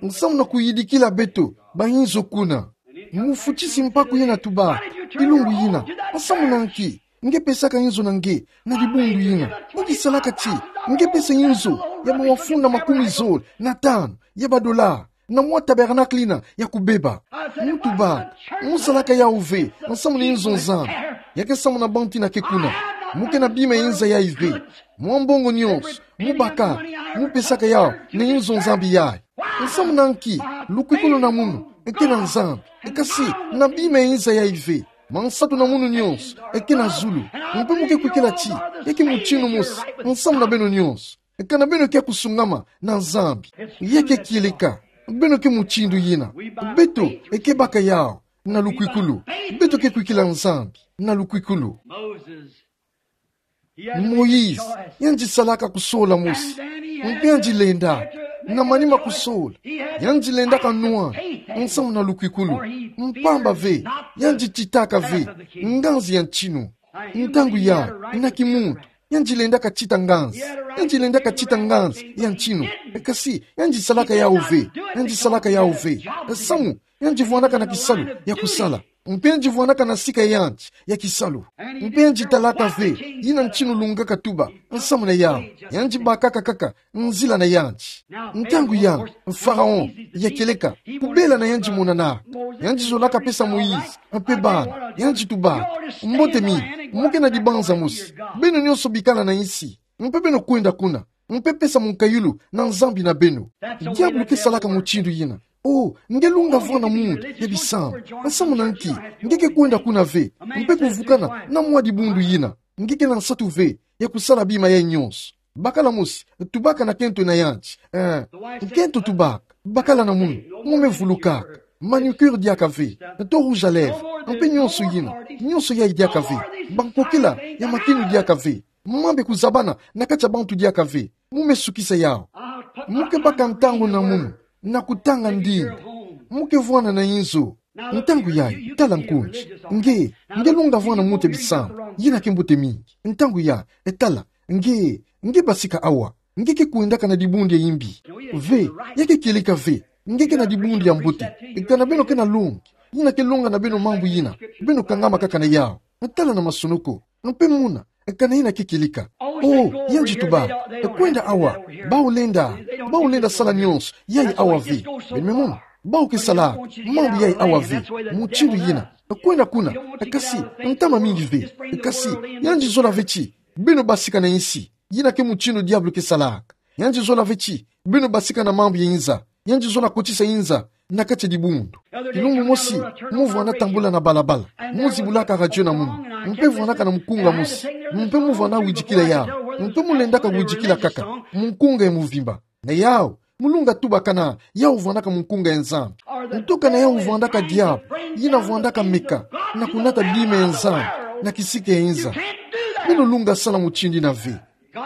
Nsamu na kuyidikila beto ba inzo kuna. Mufutisi mpaku ina tubaka kilumbu ina. Nsamu na nki nge pesaka inzo na nge na dibundu ina? Nge kisalaka ti nge pesa inzo ya mawafu na makumi zole na tanu ya badola na mwa tabernacle ina ya kubeba? Mu tubaka, mu salaka yawu ve nsamu na inzo Nzambi. Ya ke samu na bantu ina ke kuna. Mu ke na bima ya inza yayi ve. Mwa mbongo nionso mu baka, mu pesaka yawu na inzo Nzambi yayi. Nsamu na nki? Lukwikulu na munu ke na Nzambi, kasi na bima ya inza yayi ve. Mwa nsatu na munu nionso ke na zulu. Mpe mu ke kwikila ti ya ke mutinu mosi nsamu na beno nionso. Kana beno ke kusungama na Nzambi, ya ke kieleka, beno ke mutindu ina. Beto ke baka yawu na lukwikulu. Beto ke kwikila Nzambi na lukwikulu. Moïse, yandi salaka kusola mosi. Mpe yandi lenda, na manima kusola, yandi lendaka nwana nsamu na lukwikulu. Mpamba ve, yandi titaka ve nganzi ya ntinu. Ntangu yayi, na kimuntu, yandi lendaka tita nganzi. Yandi lendaka tita nganzi ya ntinu. Kasi yandi salaka yawu ve. Yandi salaka yawu ve. Samu yandi vwanaka na kisalu ya kusala. Mpe yandi vwanaka na sika ya yandi ya kisalu. Mpe yandi talaka ve ina ntinu lungaka tuba nsamu na yawu. Yandi bakaka kaka nzila na yandi. Ntangu yayi, Faraon, ya kieleka, kubela na yandi monanaka. Yandi zolaka pesa Moïse mpe bana. Yandi tubaka: Mbote mingi, mu ke na dibanza mosi. Beno nionso bikala na insi, mpe beno kwenda kuna, mpe pesa munkayulu na Nzambi na beno. Diabulu ke salaka mutindu ina. Oh, nge lunga vwani na muntu ya bisambu. Nsamu na nki nge ke kwenda kuna ve, mpe kuvukana na mwa dibundu ina? Nge ke na nsatu ve ya kusala bima yayi nionso. Bakala mosi, tubaka na kento na yandi. Eh, kento tubaka, bakala na munu, mu me vulukaka. Manucure diaka ve, to rouge à lèvres, mpe nionso ina, nionso yayi diaka ve. Bankokila ya makinu diaka ve. Mambu ya kuzabana na kati ya bantu diaka ve. Mu me sukisa yawu. Mu ke baka ntangu na munu na kutanga ndinga. Mu ke vwana na inzo. Ntangu yayi, tala nkunzi. Nge, nge lunga vwani na muntu ya bisambu, ina ke mbote mingi. Ntangu yayi, tala, nge, nge basika awa. Nge ke kwendaka na dibundu ya imbi ve, ya ke kieleka ve nge ke na dibundu ya mbote. Kana beno ke na longi, ina ke longa na beno mambu ina, beno kangama kaka na yawu. Tala na masonoko, mpe mona kana ina ke kieleka. Oh, yandi tubaka: Kwenda awa. Bawu lenda, bawu lenda sala nionso yayi awa ve. Beno me mona, bawu ke salaka mambu yayi awa ve. Mutindu ina, kwenda kuna. Kasi ntama mingi ve. Kasi yandi zola ve ti beno basika na insi. Ina ke mutindu diabulu ke salaka. Yandi zola ve ti beno basika na mambu ya inza. Yandi zola kotisa inza na kati ya dibundu. Kilumbu mosi, mu vwanda tambula na balabala, mu zibulaka radio na munu, mpe vwandaka na mukunga mosi, mpe mu vwanda widikila yawu, mpe mu lendaka widikila kaka mukunga ya muvimba. Na yawu, mu lunga tuba kana yawu vwandaka mukunga ya Nzambi. Nto kana yawu vwandaka diabulu, ina vwandaka meka na kunata bima ya Nzambi na kisika ya inza. Beno lunga sala mutindu ina ve.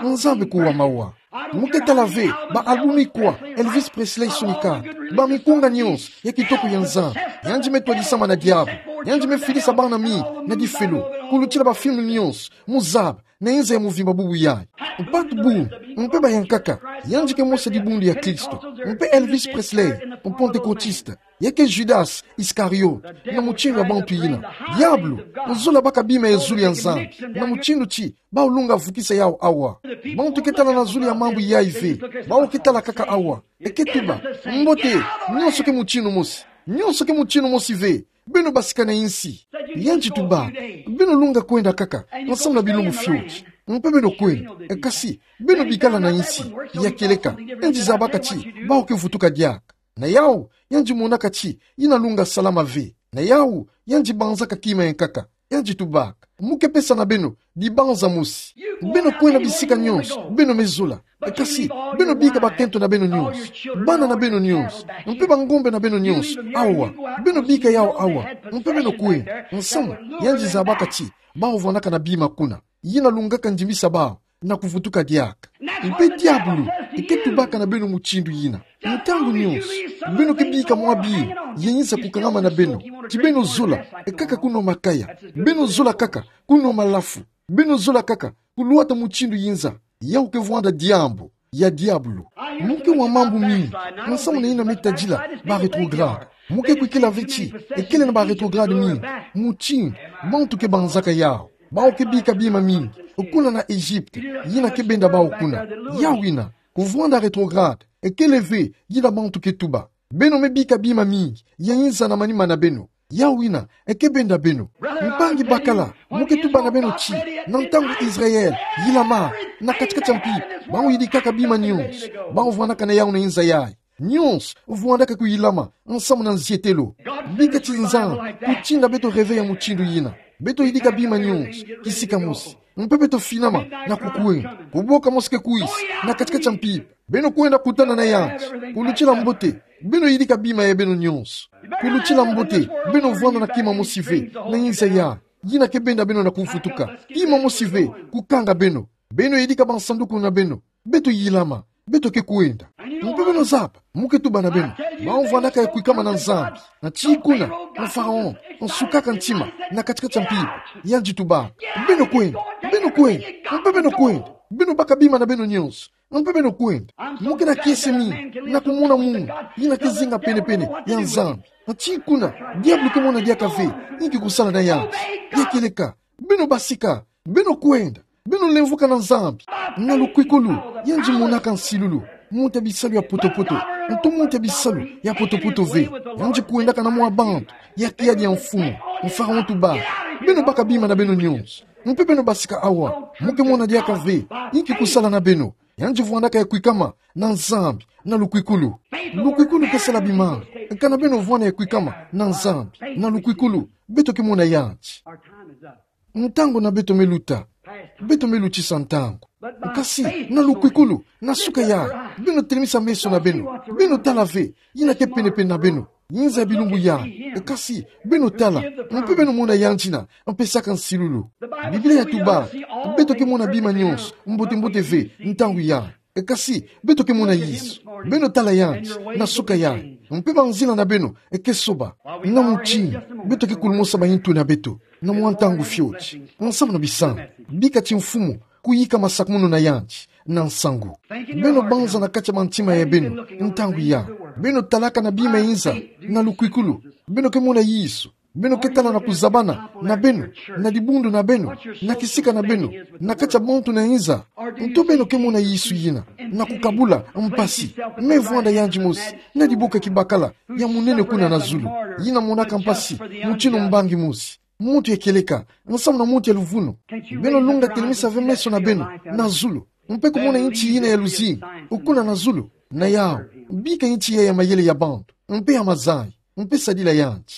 Nzambi kuwa mawa. Mu ke tala ve ba album ikwa Elvis Presley sonikaka, ba mikunga nionso ya kitoko ya Nzambi. Yandi me twadisama na diabulu. Yandi me filisa bana mi na difelo, kulutila ba film nyonso, mu zaba, na inza ya muvimba bubu yayi. Mpatu bundu, mpe bayankaka, yandi ke mosa dibundu ya Kristo, mpe Elvis Presley, mu Pentekotista, ya ke Judas Iscariot, na mutindu ya bantu yina. Diabulu, nzola baka bima ya zulu ya Nzambi, na mutindu ti, bawu lunga vukisa yawu awa. Bantu ke tala na zulu ya mambu yayi ve, bawu ke tala kaka awa. E ke tuba, mbote, nyonso ke mutindu mosi. Nyonso ke mutindu mosi ve. Beno basika na insi. Yandi tuba, beno lunga kwenda kaka, nsamu na bilumbu fioti. Mpe beno kwenda, e kasi, beno bikala na insi, ya kieleka, yandi zabaka ti, bawu ke vutuka diaka. Na yawu, yandi monaka ti, yina lunga salama ve. Na yawu, yandi banzaka kima ya nkaka. Yandi tubaka, mu ke pesa na beno, dibanza mosi. Beno kwenda bisika nyonso, beno me zola. E kasi, beno bika bakento na beno nyonso. Bana na beno nyonso. Mpe bangombe na beno nyonso. Awa, beno bika yawu awa. Mpe beno kwenda. Nsamu, yandi zabaka ti, bawu vwandaka na bima kuna. Yina lungaka ndimbisa bawu, na kuvutuka diaka. Mpe diabulu, e ke tubaka na beno mutindu yina. Ntangu nyonso, beno ke bika mwa bima, ya inza kukangama na beno. Ti beno zola, e kaka kunwa makaya. Beno zola kaka, kunwa malafu. Beno zola kaka, kulwata mutindu ya inza. Yawu ke vwanda diambu, ya diabulu. Mu ke wa mambu mingi, nsamu na yina me tadila, ba rétrograde. Mu ke kwikila ve ti, e kele na ba rétrograde mingi, mutindu, bantu ke banzaka yawu. Bawu ke bika bima mingi, kuna na Egypte, yina ke benda bawu kuna. Yawu yina, kuvwanda rétrograde, e kele ve, yina bantu ke tuba. Beno me bika bima mingi, ya inza na manima na beno. Yawu yina, e ke benda beno. Mpangi bakala, mu ke tuba na beno ti, na ntangu Israël, yilama, na kati-kati ya mpimpa, bawu yidikaka bima nyonso, bawu vwandaka na yawu na inza yayi. Nyonso, vwandaka kuyilama, nsamu na nzietelo. Bika ti Nzambi, kutinda beto réveil ya mutindu yina. Beto yidika bima nyonso, kisika mosi. Mpe beto finama, na kukwenda. Kuboka mosi ke kwisa, na kati-kati ya mpimpa. Beno kwenda kutana na yandi. Kulutila mbote, beno yidika bima ya beno nyonso. Kulutila mbote, beno vwanda na kima mosi ve, na inza yayi. Yina ke benda beno na kuvutuka. Kima mosi ve, kukanga beno. Beno yidika bansanduku na beno. Beto yilama. Beto ke kwenda. Mpe beno zaba, mu ke tuba na beno. Bawu vwandaka ya kwikama na Nzambi. Na ti kuna, na Pharaon, nsukaka ntima, na kati-kati ya mpimpa. Yandi tubaka. Beno kwenda. Beno kwenda. Mpe beno kwenda. Beno baka bima na beno nyonso. Mpe beno kwenda. Mu ke na kiese mingi, na kumona munu, yina ke zinga pene-pene, ya Nzambi. Na ti kuna, diabulu ke mona diaka ve, inki kusala na yandi. Ya kieleka. Beno basika. Beno kwenda. Beno lemvoka na Nzambi. Na lukwikulu, yandi monaka nsilulu. Muntu ya bisalu ya poto-poto. Ntu muntu ya bisalu ya poto-poto ve. Yandi kwendaka na mwa bantu ya kiadi ya mfumu. Pharaon tubaka. Beno baka bima na beno nyonso. Mpe beno basika awa. Mu ke mona diaka ve, inki kusala na beno. Yandi vwandaka ya kwikama na Nzambi, na lukwikulu. Lukwikulu ke sala bimanga. Kana beno vwanda ya kwikama na Nzambi, na lukwikulu. Beto ke mona yandi. Ntangu na beto me luta. Beto me lutisa ntangu. Kasi, na lukwikulu, na suka yayi, beno telemisa meso na beno. Beno tala ve, yina ke pene-pene na beno. Inza ya bilumbu yayi. Kasi, beno tala, mpe beno mona yandi yina, mpesaka nsilulu. Biblia yatuba, beto ke mona bima nyonso, mbote-mbote ve, ntangu yayi. Kasi, beto ke mona Yesu. Beno tala yandi, na suka yayi. Mpe banzila na beno, e ke soba. Na mutindu, beto ke kulumosa bayintu na beto. Na mwa ntangu fioti. Nsamu na bisambu. Bika ti mfumu, kuyika masakumunu na yandi, na nsangu. Beno banza na kati ya mantima ya beno, ntangu yayi. Beno talaka na bima ya inza, na lukwikulu. Beno ke mona Yesu. Beno ke tala na kuzabana, na beno, na dibundu na beno, na kisika na beno, na kati ya bantu na inza. Ntu beno ke mona Yesu yina, na kukabula, mpasi. Me vwanda yandi mosi, na diboka kibakala, ya munene kuna na zulu. Yina monaka mpasi, mutindu mbangi mosi. Muntu ya kieleka, nsamu na muntu ya luvunu. Beno lunga telemisa ve meso na beno, na zulu. Mpe kumona insi yina ya luzingu, kuna na zulu, na yawu. Bika insi yayi ya mayele ya bantu, mpe ya mazayi, mpe sadila yandi.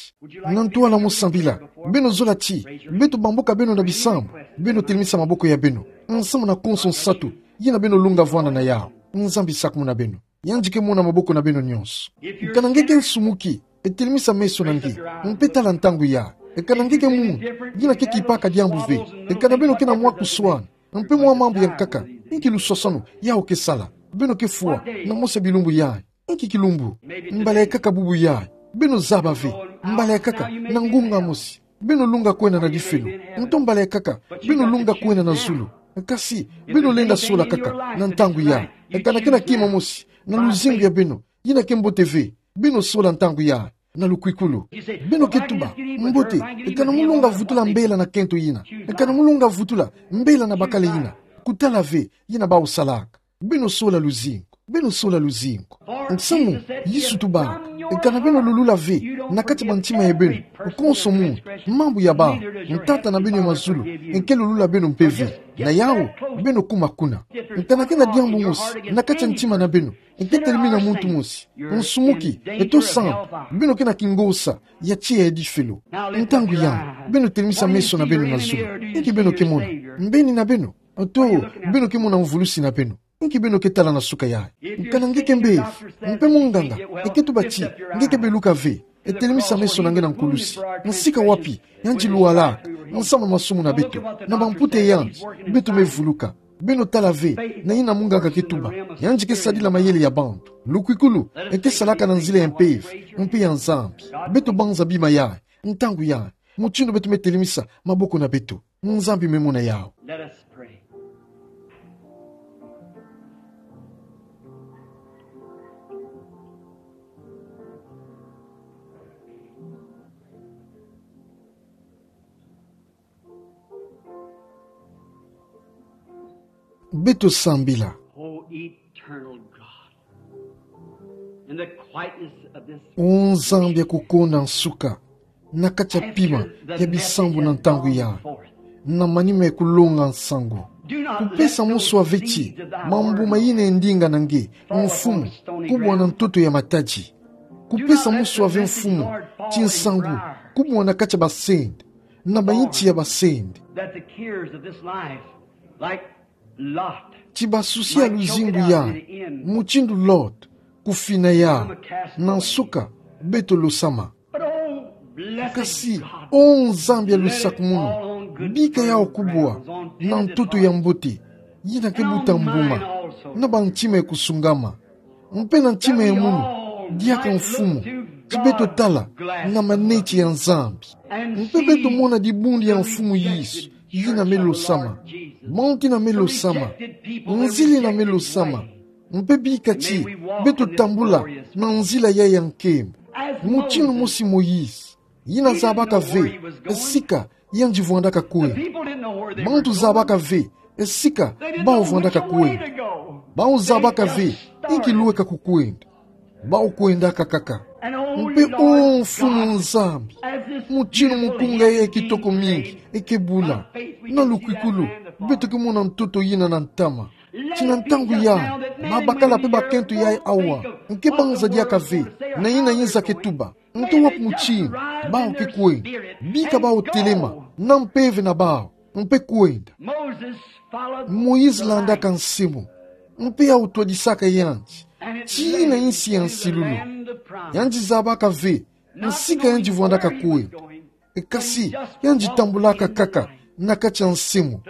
Na ntwala mu sambila, beno zola ti, beto bambuka beno na bisambu, beno telemisa maboko ya beno, nsamu na konso nsatu, yina beno lunga vwanda na yawu, Nzambi sakumuna beno. Yandi ke mona maboko na beno nyonso. Kana nge ke nsumuki, e telemisa meso na nge, mpe tala ntangu yayi. Kana nge ke muntu, yina ke kipaka diambu ve. Kana beno ke na mwa kuswana, mpe mwa mambu ya nkaka, inki luswaswanu, yawu ke sala. Beno ke fwa, na mosi ya bilumbu yayi. Inki kilumbu, mbala ya nkaka bubu yayi. Beno zaba ve. Mbala ya kaka, na ngunga mosi, beno lunga kwenda na difelo. Nto mbala ya kaka, beno lunga kwenda na zulu. Kasi, beno lenda sola kaka na ntangu ya. Kana ke na kima mosi na luzingu ya beno, yina ke mbote ve, beno sola ntangu ya na lukwikulu. Beno ke tuba: Mbote, kana mo longa vutula mbela na kento yina? Kana mo longa vutula mbela na bakala yina? Kutala ve yina bawu salaka. Beno sola luzingu. Beno sola luzingu. Samu Yesu tubaka: Kana beno lulula ve na kati ya mantima ya beno, konso muntu, mambu ya bawu, Tata na beno ya mazulu nke lulula beno mpe ve. Na yawu, beno kuma kuna. Kana ke na diambu mosi na kati ya ntima na beno, nke telemina muntu mosi, nsumuki, eto sambu, beno ke na kingosa ya tiya ya difelo. Ntangu ya, beno telemisa meso na beno na zulu. Inki beno ke mona? Mbeni na beno? Nto beno ke mona mvulusi na beno? Inki beno ke tala na suka yayi? Kana nge ke mbevo, mpe munganga eke tuba ti nge ke beluka ve, e telemisa meso na nge na nkulusi. Nsika wapi yandi luwalaka nsamu masumu na beto, na bamputa yandi beto me vuluka? Beno tala ve na yina munganga ke tuba. Yandi ke sadila mayele ya bantu. Lukwikulu eke salaka na nzila ya mpeve mpe ya Nzambi. Beto banza bima yayi. Ntangu yayi, mutindu beto me telemisa maboko na beto, Nzambi me mona yawu. Let us pray. Beto sambila. Oh, eternal God, in the quietness of this, O Nzambi ya kukonda nsuka, na kati ya pima ya bisambu na ntangu yayi, na manima ya kulonga nsangu, kupesa moswa ve ti mambu ma yina ya ndinga na nge, Mfumu, kubwa na ntoto ya matadi. Kupesa moswa ve, Mfumu, ti nsangu kubwa na kati ya basende, na bainti ya basende, that the cares of this life, like Lot, ti basusi ya luzingu yayi, mutindu Lot, kufina yawu, na nsuka beto losama. But oh, blessed Kasi, God, o Nzambi ya lusakumunu, bika yawu kubwa na ntoto ya mbote, yina ke buta mbuma na bantima ya kusungama, mpe na ntima ya munu, diaka, Mfumu, ti beto tala na maneti ya Nzambi, mpe beto mona dibundu ya Mfumu Yesu yina me losama, bantu yina me losama, nzila yina me losama, mpe bika ti beto tambula na nzila yayi ya nkembo, mutindu mosi Moïse, yina zabaka ve sika yandi vwandaka kwenda. Bantu zabaka ve sika bawu vwandaka kwenda. Bawu zabaka ve inki lweka kukwenda. Bawu kwendaka kaka. Mpe o Mfumu Nzambi, mutindu mukunga ya kitoko mingi eke bula, na lukwikulu beto ke mona ntoto yina na ntama. Ti na ntangu yayi, babakala mpe bakento yayi awa nke banza diaka ve na yina Yeza ke tuba. Nto wapi mutindu bawu ke kwenda? Bika bawu telema, na mpeve na bawu, mpe kwenda. Moïse landaka nsimu, mpe yawu twadisaka yandi ti yina insi ya nsilulu. Yandi zabaka ve sika yandi vwandaka kwenda. Kasi yandi tambulaka kaka na kati ya nsimu,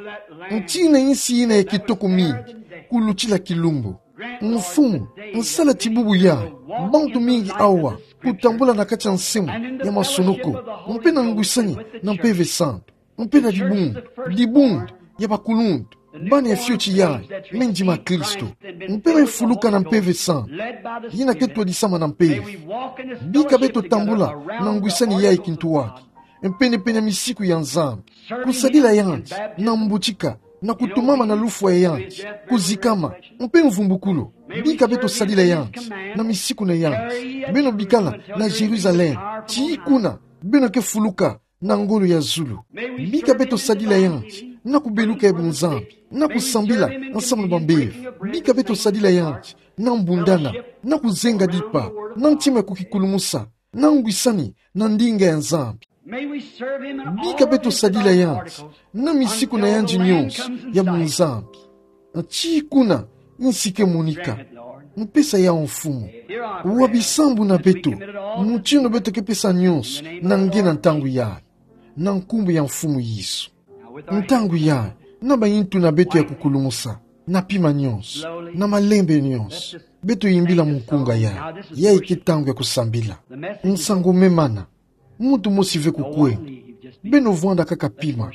ti yina insi yina ya kitoko mingi kulutila kilumbu. Mfumu, sala ti bubu yayi bantu mingi awa kutambula na kati ya nsimu ya masonoko, mpe na ngwisani na Mpeve Santu, mpe na dibundu, dibundu ya bakuluntu, bana ya fioti yayi, me ndima Kristo, mpe me fuluka na Mpeve Santu, yina ke twadisama na mpeve. Bika beto tambula na ngwisani yayi kintuwaki, pene-pene ya misiku ya Nzambi, kusadila yandi na mbutika, na kutumama na lufwa ya yandi, kuzikama, mpe mvumbukulu. Bika beto sadila yandi na misiku na yandi. Beno bikala na Jérusalem, tii kuna beno ke fuluka na ngolo ya zulu. Bika beto sadila yandi na kubeluka ya bunzambi, na kusambila nsamu na bambeve. Bika beto sadila yandi na mbundana, na kuzenga dipa, na ntima ya kukikulumusa, na ngwisani na ndinga ya Nzambi. Bika beto sadila yandi na misiku na yandi nyonso ya bunzambi, tii kuna insi ke monika. Mpesa yawu, Mfumu. Wa bisambu na beto, mutindu beto ke pesa nyonso na nge na ntangu yayi, na nkumbu ya Mfumu Yesu. Ntangu yayi, na bayintu na beto ya kukulumusa, na pima nyonso, na malembe nyonso, beto yimbila mukunga yayi. Yayi ke ntangu ya kusambila. Nsangu me mana. Muntu mosi ve kukwe. Beno vwanda kaka pima.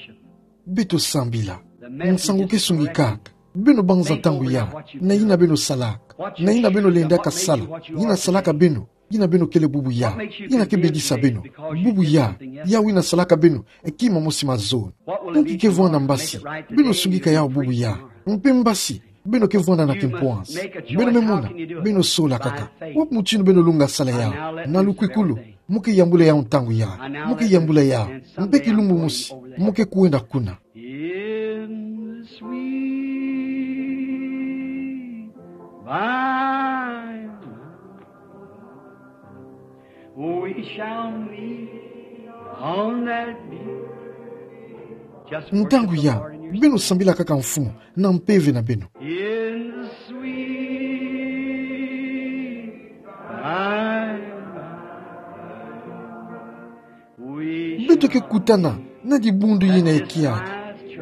Beto sambila. Nsangu ke sungi kaka. Beno banza ntangu ya. Na ina beno salaka. Na ina beno lenda kasala. Ina salaka beno. Ina beno kele bubu ya. Ina ke bedisa beno. Bubu ya. Yau ina salaka beno. Eki mamosi mazono. Nki ke vwanda mbasi. Beno sungi ka yau bubu ya. Mpe mbasi. Beno ke vwanda na kimpwansi. Beno me mona. Beno sola kaka. Wapi mutinu beno lunga sala yau. Na lukwikulu. Mo ke yambula yau ntangu ya. Mo ke yambula yau. Mpe kilumbu mosi. Mo ke kwenda kuna. In the sweet by and by, we shall meet on that beautiful. Just worship the Lord in your spirit. Ntangu ya. Beno sambila kaka Mfumu. Na mpeve na beno. In the sweet by and by, we shall. Beto ke kutana na dibundu yina ya kiaki.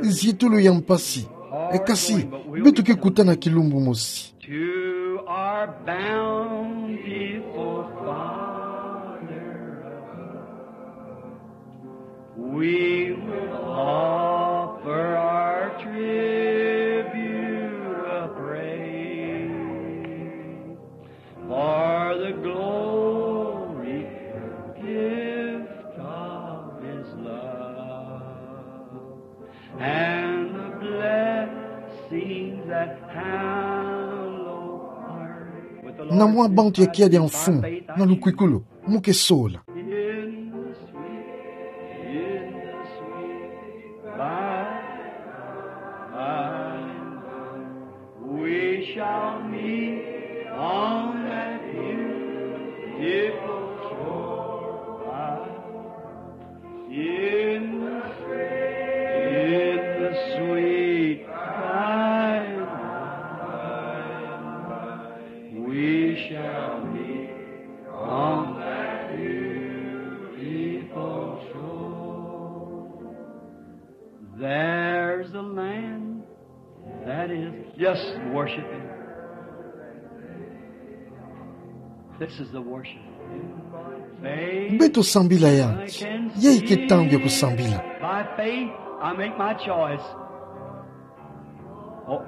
Zi tolo ya mpasi. E kasi, beto ke kutana kilumbu mosi. To our bountiful Father above. We will offer our tribute of praise for the glory gift of his love and the blessings that hallow our. Na mwa bantu ya kiadi ya Mfumu, na lukwikulu. Mo ke sola. In the sweet, in the sweet by and by, we shall meet on that beautiful shore by. In the sweet, in the sweet by and by, we shall meet on that beautiful shore. There's a land that is, just worship him. This is the worship. Faith. Beto sambila yandi. Ya ike ntangu ya kusambila. By faith, I make my choice. Oh.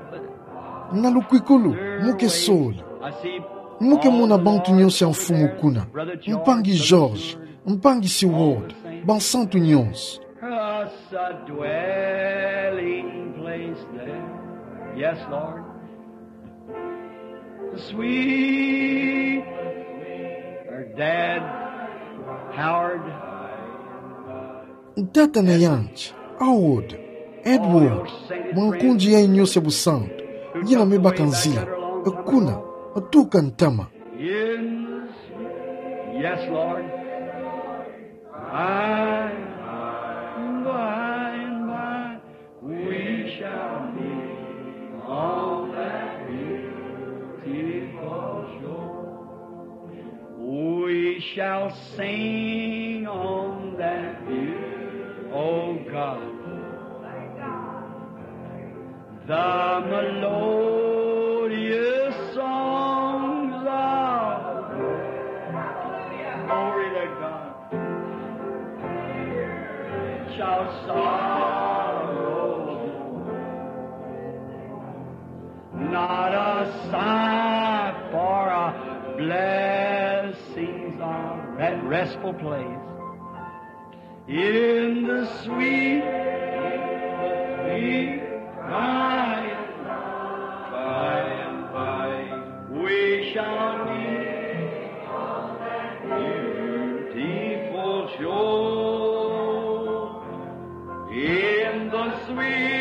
Na lukwikulu, mo ke sola. I see. Mo ke mona bantu nyonso ya Mfumu kuna. Mpangi George, Mpangi Seward, bansantu nyonso. Us a dwelling place there. Yes, Lord. Sweet, or Dad, Howard. Tata na yandi, Howard, Edward, mankunji ya nyonso busantu, ngina me baka nzila, kuna, tuka ntama. Yes, Lord. By and by, by and by, we shall meet on that beautiful shore. We shall sing on that beautiful, oh God. The melodious songs of glory to God shall sorrow. Not a sigh for a blessings of that restful place. In the sweet, sweet by and by, by and by, we shall meet on that beautiful shore. In the sweet